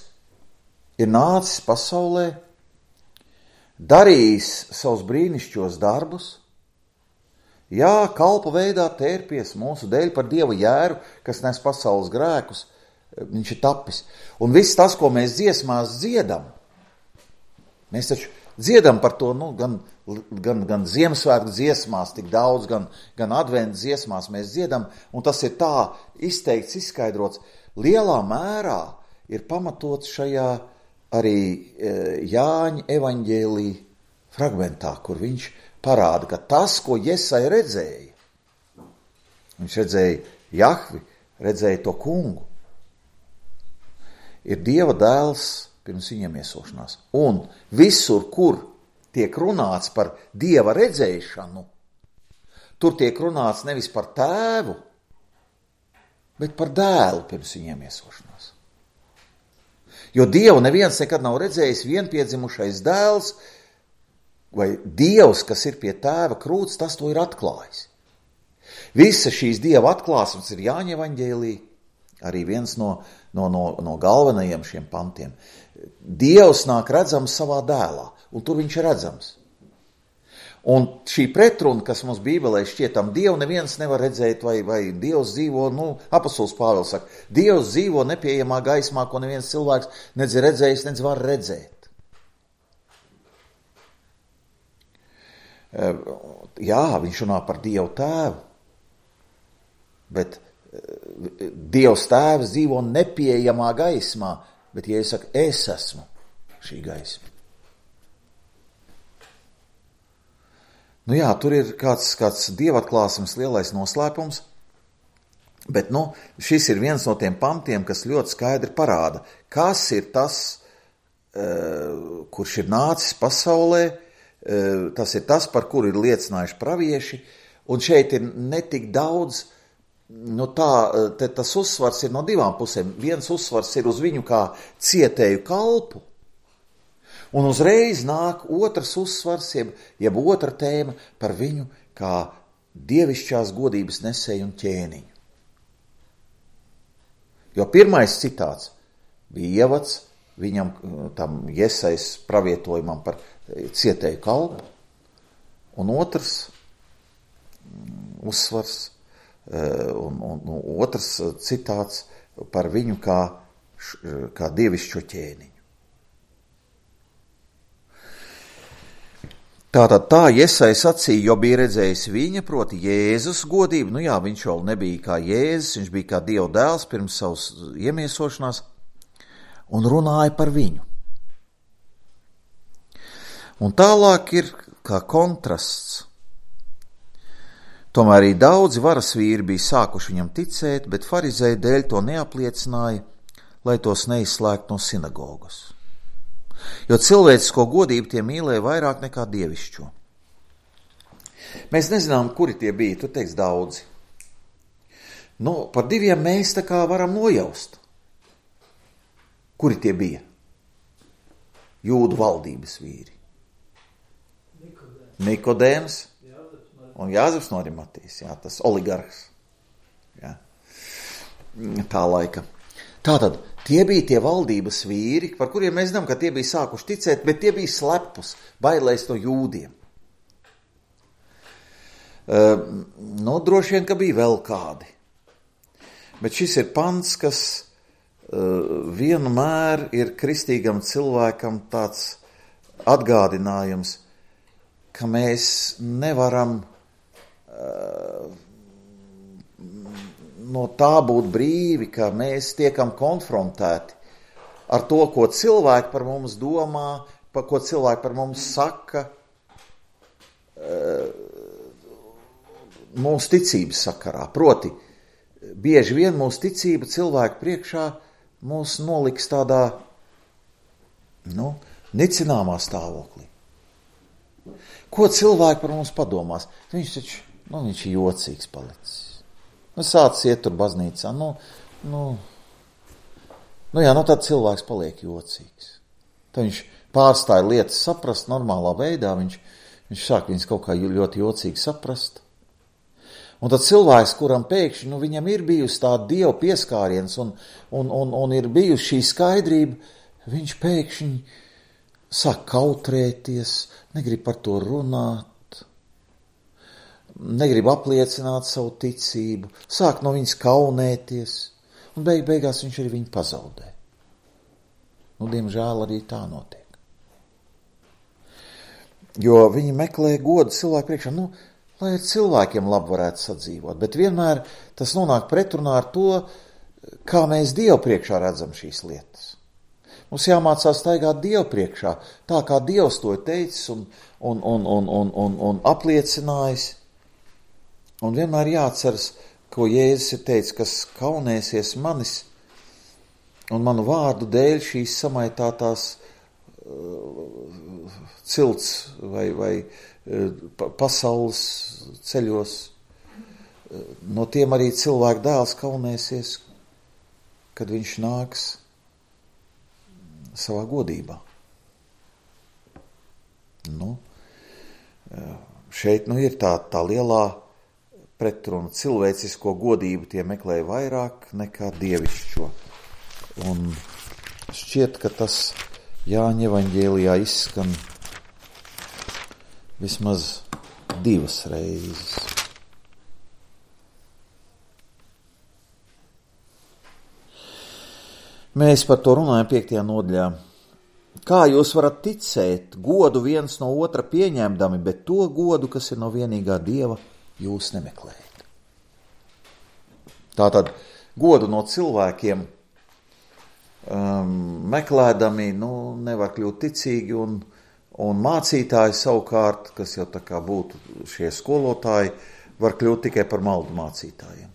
ir nācis pasaulē, darījis savus brīnišķos darbus, jā, kalpa veidā tērpies mūsu dēļ par Dieva jēru, kas nes pasaules grēkus, viņš ir tapis. Un viss tas, ko mēs dziesmās dziedam, mēs taču dziedam par to, nu, gan, gan, gan Ziemassvētku dziesmās tik daudz, gan, gan adventu dziesmās mēs dziedam, un tas ir tā izteikts, izskaidrots, lielā mērā ir pamatots šajā arī Jāņa evaņģēlī fragmentā, kur viņš parāda, ka tas, ko Jesaja redzēja, viņš redzēja Jahvi, redzēja to kungu, ir Dieva dēls pirms viņa iemiesošanās. Un visur, kur tiek runāts par Dieva redzēšanu, tur tiek runāts nevis par tēvu, bet par dēlu pirms viņa iemiesošanās. Jo Dievu neviens nekad nav redzējis, vienpiedzimušais dēls vai Dievs, kas ir pie tēva krūts, tas to ir atklājis. Visa šīs Dieva atklāsmes ir Jāņa evaņģēlī, arī viens no, no, no, no galvenajiem šiem pantiem. Dievs nāk redzams savā dēlā, un tur viņš ir redzams. Un šī pretruna, kas mums Bībelē šķietam, Dievu neviens nevar redzēt, vai, vai Dievs dzīvo, nu, apostols Pāvils saka, Dievs dzīvo nepieejamā gaismā, ko neviens cilvēks nedz redzējis, nedz var redzēt. Jā, viņš runā par Dievu tēvu, bet Dievs tēvs dzīvo nepieejamā gaismā, bet, ja es saku, es esmu šī gaisma. Nu jā, tur ir kāds, kāds dievatklāsmes lielais noslēpums, Bet, nu, šis ir viens no tiem pantiem, kas ļoti skaidri parāda, kas ir tas, uh, kurš ir nācis pasaulē, uh, tas ir tas, par kuru ir liecinājuši pravieši, un šeit ir netik daudz, nu tā, te tas uzsvars ir no divām pusēm. Viens uzsvars ir uz viņu kā cietēju kalpu, un uzreiz nāk otrs uzsvars, jeb, jeb otra tēma par viņu kā dievišķās godības nesēju un ķēniņu. Jo pirmais citāts bija ievads viņam, tam Jesajas pravietojumam par cietēju kalpu, un otrs uzsvars un, un, un otrs citāts par viņu kā, kā dievišķo ķēniņu. Tātad tā Jesaja sacīja, jo bija redzējis viņa, proti Jēzus godību. Nu jā, viņš vēl nebija kā Jēzus, viņš bija kā Dieva dēls pirms savas iemiesošanās un runāja par viņu. Un tālāk ir kā kontrasts. Tomēr arī daudzi varas vīri bija sākuši viņam ticēt, bet farizēji dēļ to neapliecināja, lai tos neizslēgtu no sinagogas. Jo cilvēcisko godību tie mīlēja vairāk nekā dievišķo. Mēs nezinām, kuri tie bija, tu teiks daudzi. Nu, par diviem mēs tā kā varam nojaust. Kuri tie bija? Jūdu valdības vīri. Nikodēms. Nikodēms un Jāzeps no Arimatijas, jā, tas oligarhs. Jā. Tā laika. Tātad, tie bija tie valdības vīri, par kuriem mēs zinām, ka tie bija sākuši ticēt, bet tie bija slepus, bailēs no jūdiem. Uh, nu, droši vien, ka bija vēl kādi. Bet šis ir pants, kas uh, vienmēr ir kristīgam cilvēkam tāds atgādinājums, ka mēs nevaram uh, no tā būt brīvi, ka mēs tiekam konfrontēti ar to, ko cilvēki par mums domā, par ko cilvēki par mums saka, mūsu ticības sakarā. Proti, bieži vien mūsu ticība cilvēku priekšā mūs noliks tādā, nu, nicināmā stāvoklī. Ko cilvēki par mums padomās? Viņš taču, nu, viņš ir jocīgs palicis. Nu, sācis iet tur baznīcā, nu, nu, nu jā, nu tad cilvēks paliek jocīgs. Tad viņš pārstāja lietas saprast normālā veidā, viņš, viņš sāk viņas kaut kā ļoti jocīgi saprast. Un tad cilvēks, kuram pēkšņi, nu, viņam ir bijusi tā Dieva pieskāriens un, un, un, un ir bijusi šī skaidrība, viņš pēkšņi sāk kautrēties, negrib par to runāt, negrib apliecināt savu ticību, sāk no viņas kaunēties, un beig beigās viņš arī viņu pazaudē. Nu, diemžēl arī tā notiek. Jo viņi meklē godu cilvēku priekšā, nu, lai ar cilvēkiem labi varētu sadzīvot, bet vienmēr tas nonāk pretrunā ar to, kā mēs Dievu priekšā redzam šīs lietas. Mums jāmācās staigāt Dievu priekšā, tā kā Dievs to ir teicis un, un, un, un, un, un, un apliecinājis. Un vienmēr jāatceras, ko Jēzus ir teicis, kas kaunēsies manis un manu vārdu dēļ šīs samaitātās uh, cilts vai, vai uh, pasaules ceļos. Uh, no tiem arī cilvēku dēls kaunēsies, kad viņš nāks savā godībā. Nu, uh, šeit nu ir tā, tā lielā pretruna. Cilvēcisko godību tie meklēja vairāk nekā dievišķo. Un šķiet, ka tas Jāņa evaņģēlijā izskan vismaz divas reizes. Mēs par to runājam piektajā nodaļā. Kā jūs varat ticēt, godu viens no otra pieņemdami, bet to godu, kas ir no vienīgā Dieva, jūs nemeklējat. Tātad godu no cilvēkiem um, meklēdami, nu, nevar kļūt ticīgi, un, un mācītāji savukārt, kas jau tā kā būtu šie skolotāji, var kļūt tikai par maldu mācītājiem.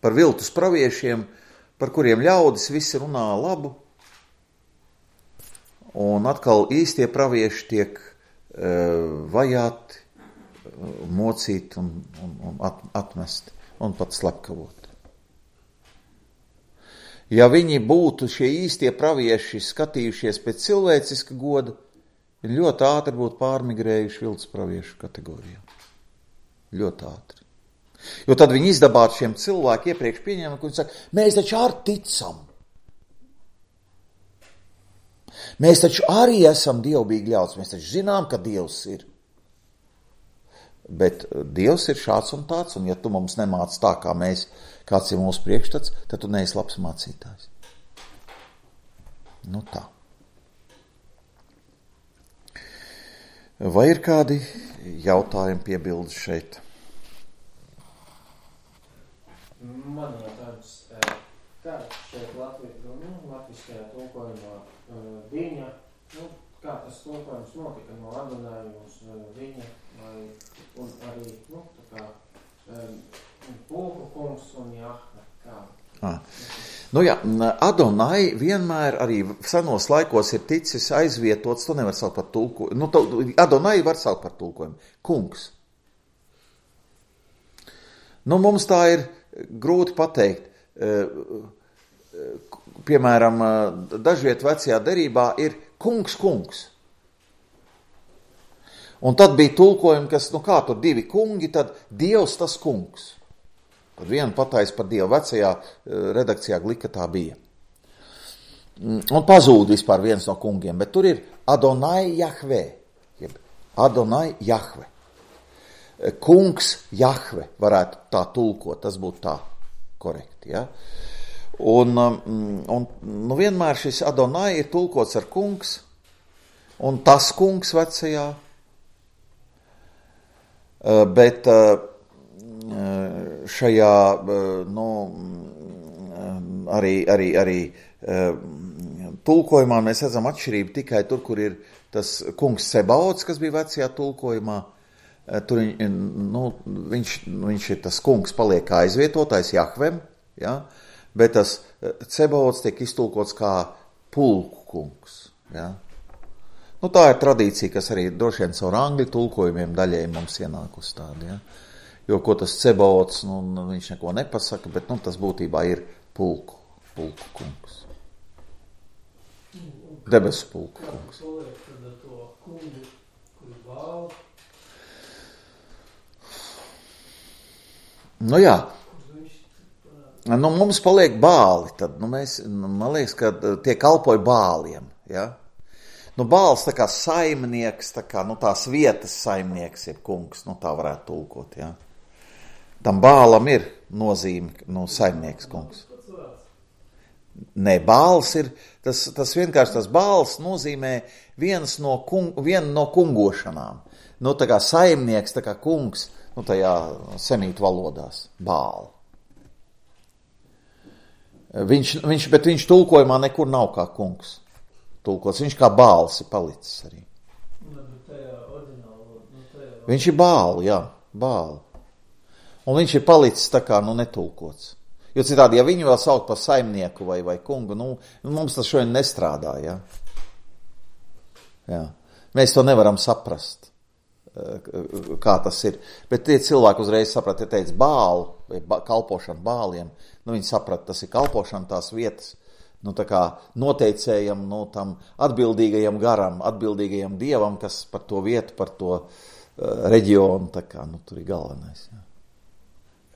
par viltus praviešiem, par kuriem ļaudis visi runā labu, un atkal īstie pravieši tiek uh, vajāti, uh, mocīti un, un, un at, atmesti un pat slepkavoti. Ja viņi būtu šie īstie pravieši skatījušies pēc cilvēciska goda, viņi ļoti ātri būtu pārmigrējuši viltus praviešu kategorijā. Ļoti ātri. Jo tad viņi izdabātu šiem cilvēkiem iepriekš pieņēma, ka viņi saka, mēs taču arī ticam. Mēs taču arī esam dievbīgi ļauts, mēs taču zinām, ka Dievs ir. Bet Dievs ir šāds un tāds, un ja tu mums nemāc tā, kā mēs, kāds ir mūsu priekšstats, tad tu neesi labs mācītājs. Nu tā. Vai ir kādi jautājumi, piebildes šeit? Man jautājums, kā šeit Latvijas, nu, latviskajā tulkojumā viņa, nu, kā tas tulkojums notika no Adonai uz viņa, vai, un arī, nu, tā kā, Pulku kungs un Jahve, kā? Ah. Nu jā, Adonai vienmēr arī senos laikos ir ticis aizvietots, to nevar saukt par tulkojumu. Nu, to, Adonai var saukt par tulkojumu. Kungs. Nu, mums tā ir grūti pateikt. Piemēram, dažviet vecajā derībā ir kungs, kungs. Un tad bija tulkojumi, kas, nu kā tur divi kungi, tad Dievs tas kungs. Tad vienu patais par Dievu, vecajā redakcijā Glika tā bija. Un pazūd vispār viens no kungiem, bet tur ir Adonai Jahve, jeb Adonai Jahve. Kungs Jahve varētu tā tulkot, tas būtu tā korekti, ja? Un, un nu vienmēr šis Adonai ir tulkots ar kungs, un tas kungs vecajā, bet šajā, nu, arī, arī, arī tulkojumā mēs redzam atšķirību tikai tur, kur ir tas kungs Sebaots, kas bija vecajā tulkojumā. Tur nu, viņš, viņš ir tas kungs paliek aizvietotais Jahvem, ja? Bet tas Sebaots tiek iztulkots kā pulku kungs. Ja? Nu, tā ir tradīcija, kas arī droši vien caur angļu tulkojumiem daļai mums ienāk uz tādu. Ja? Jo ko tas Sebaots, nu, viņš neko nepasaka, bet nu, tas būtībā ir pulku, pulku kungs. Debesu pulku kungs. Nu jā, nu, mums paliek bāli, tad, nu, mēs, man liekas, ka tie kalpoja bāliem, ja? Nu, bāls tā kā saimnieks, tā kā, nu, tās vietas saimnieks ir kungs, nu, tā varētu tulkot, ja? Tam bālam ir nozīme, nu, saimnieks kungs. Nē, bāls ir, tas, tas vienkārši tas bāls nozīmē viens no, kung, viena no kungošanām. Nu, tā kā saimnieks, tā kā kungs, nu, tajā semītu valodās, bāli. Viņš, viņš, bet viņš tulkojumā nekur nav kā kungs tulkots, viņš kā bāls ir palicis arī. Viņš ir bāli, jā, bāli. Un viņš ir palicis tā kā, nu, netulkots. Jo citādi, ja viņu vēl saukt par saimnieku vai, vai kungu, nu, mums tas šodien nestrādā, jā. Jā. Mēs to nevaram saprast, kā tas ir. Bet tie cilvēki uzreiz saprat, ja teica bālu, vai kalpošana bāliem, nu, viņi saprat, tas ir kalpošana tās vietas, nu, tā kā noteicējam, nu, tam atbildīgajam garam, atbildīgajam dievam, kas par to vietu, par to uh, reģionu, tā kā, nu, tur ir galvenais, jā.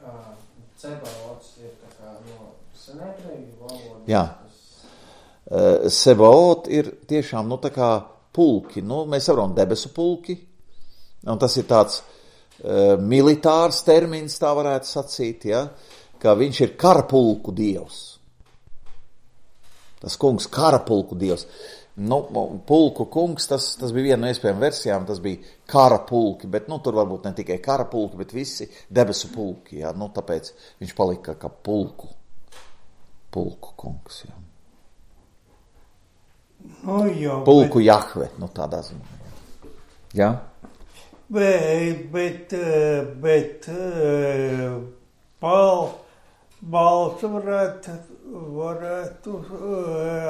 Uh, Sebaots ir tā kā no senētrēju valodas. Jā. Uh, Sebaot ir tiešām, nu, tā kā pulki, nu, mēs varam debesu pulki, un tas ir tāds uh, militārs termins, tā varētu sacīt, ja, ka viņš ir karapulku dievs. Tas kungs karapulku dievs. Nu, pulku kungs, tas, tas bija viena no iespējām versijām, tas bija karapulki, bet, nu, tur varbūt ne tikai karapulki, bet visi debesu pulki, ja, nu, tāpēc viņš palika kā pulku, pulku kungs, ja. Nu, jau, pulku bet... Jahve, nu, tādā ziņā, ja. Ja? Bet, bet, bet, Pāl, bāls varētu, varētu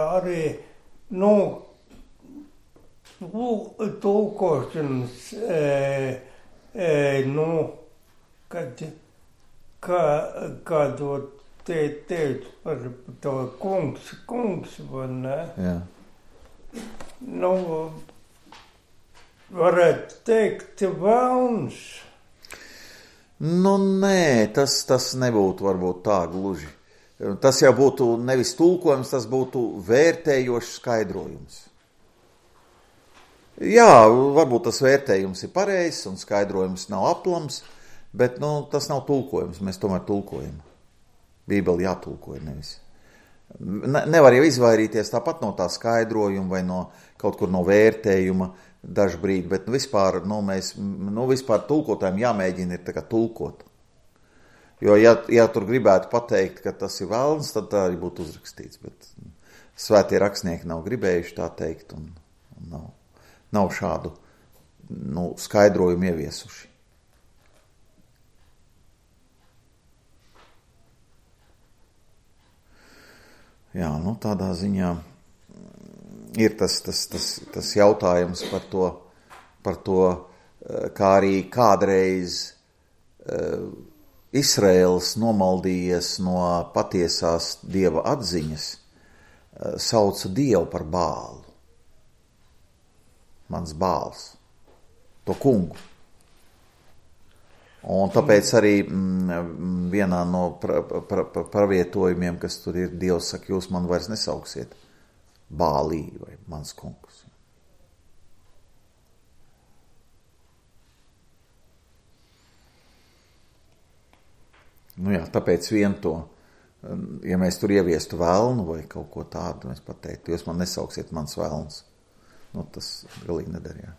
arī, nu, tulkošanas, e, e, nu, kad, kā, kādu te teicu par to kungs, kungs, vai ne? Jā. Nu, varētu teikt, vēlns. Nu, nē, tas, tas nebūtu varbūt tā gluži. Tas jau būtu nevis tulkojums, tas būtu vērtējošs skaidrojums. Jā, varbūt tas vērtējums ir pareizs un skaidrojums nav aplams, bet, nu, tas nav tulkojums, mēs tomēr tulkojam. Bībeli jātulkoja nevis. Ne, nevar jau izvairīties tāpat no tā skaidrojuma vai no kaut kur no vērtējuma, dažu brīdi, bet nu, vispār, nu, mēs, nu, vispār tulkotājiem jāmēģina ir tā kā tulkot. Jo, ja, ja tur gribētu pateikt, ka tas ir velns, tad tā arī būtu uzrakstīts, bet svētie rakstnieki nav gribējuši tā teikt un, un nav, nav šādu, nu, skaidrojumu ieviesuši. Jā, nu, tādā ziņā ir tas, tas, tas, tas jautājums par to, par to, kā arī kādreiz uh, Izraēls nomaldījies no patiesās Dieva atziņas, uh, sauca Dievu par bālu. Mans bāls, to kungu. Un tāpēc arī mm, vienā no pra, pra, pra, pravietojumiem, kas tur ir, Dievs saka, jūs man vairs nesauksiet Bālī vai mans kungs. Nu jā, tāpēc vien to, ja mēs tur ieviestu velnu vai kaut ko tādu, mēs pateiktu, jūs man nesauksiet mans velns. Nu, tas galīgi nedarījā.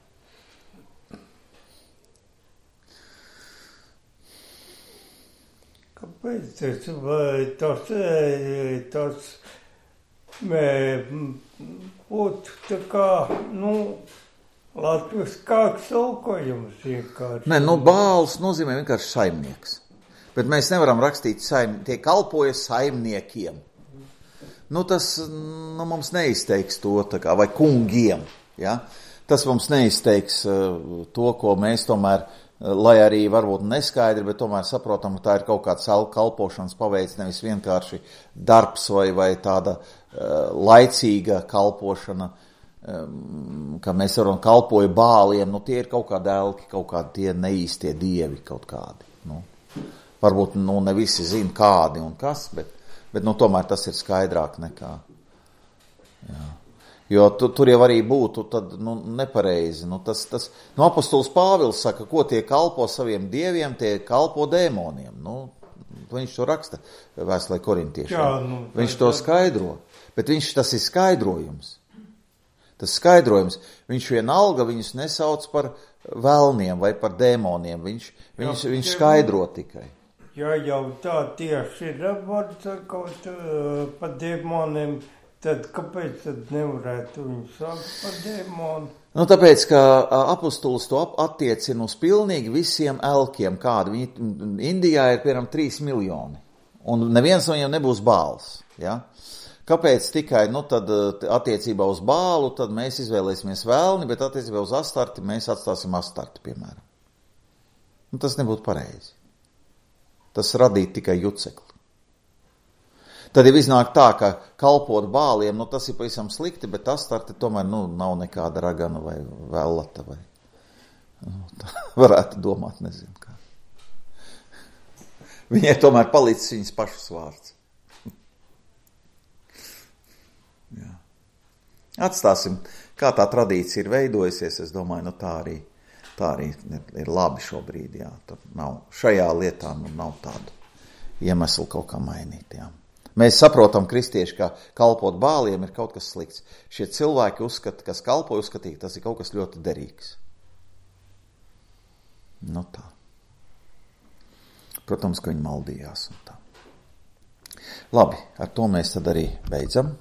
Kāpēc tas, vai tas, tas būtu tā kā, nu, latviskāks tulkojums vienkārši? Nē, nu, bāls nozīmē vienkārši saimnieks. Bet mēs nevaram rakstīt, saim, tie kalpoja saimniekiem. Nu, tas nu, mums neizteiks to, tā kā, vai kungiem, ja? Tas mums neizteiks uh, to, ko mēs tomēr, uh, lai arī varbūt neskaidri, bet tomēr saprotam, ka tā ir kaut kāds kalpošanas paveids, nevis vienkārši darbs vai, vai tāda uh, laicīga kalpošana, um, ka mēs varam kalpoja bāliem, nu tie ir kaut kādi elki, kaut kādi tie neīstie dievi kaut kādi, nu. Varbūt, nu, ne visi zina kādi un kas, bet, bet nu, tomēr tas ir skaidrāk nekā, jā. Jo tu, tur jau arī būtu tad, nu, nepareizi. Nu, tas, tas, nu, apostols Pāvils saka, ko tie kalpo saviem dieviem, tie kalpo dēmoniem. Nu, viņš to raksta vēstulē korintiešiem. Jā, nu, viņš to skaidro, bet viņš, tas ir skaidrojums. Tas skaidrojums, viņš vienalga viņus nesauc par velniem vai par dēmoniem, viņš, viņš, jā, viņš skaidro tikai. Ja jau tā tieši ir kaut uh, par dēmoniem, tad kāpēc tad nevarētu viņu saukt par dēmonu? Nu, tāpēc, ka apostols to attiecina uz pilnīgi visiem elkiem, kādi viņi Indijā ir, piemēram, trīs miljoni, un neviens no viņiem nebūs bāls, ja? Kāpēc tikai, nu, tad attiecībā uz bālu, tad mēs izvēlēsimies velni, bet attiecībā uz astarti mēs atstāsim astarti, piemēram. Nu, tas nebūtu pareizi. Tas radītu tikai jucekli. Tad jau iznāk tā, ka kalpot bāliem, nu tas ir pavisam slikti, bet astarte tomēr, nu, nav nekāda ragana vai vellata vai, nu, tā varētu domāt, nezinu kā. Viņai tomēr palicis viņas pašas vārds. Jā. Atstāsim, kā tā tradīcija ir veidojusies, es domāju, nu tā arī, tā arī ir labi šobrīd, jā. Tad nav, šajā lietā nu, nav tādu iemeslu kaut kā mainīt, jā. Mēs saprotam, kristieši, ka kalpot bāliem ir kaut kas slikts. Šie cilvēki uzskata, kas kalpo uzskatīt, tas ir kaut kas ļoti derīgs. Nu tā. Protams, ka viņi maldījās un tā. Labi, ar to mēs tad arī beidzam.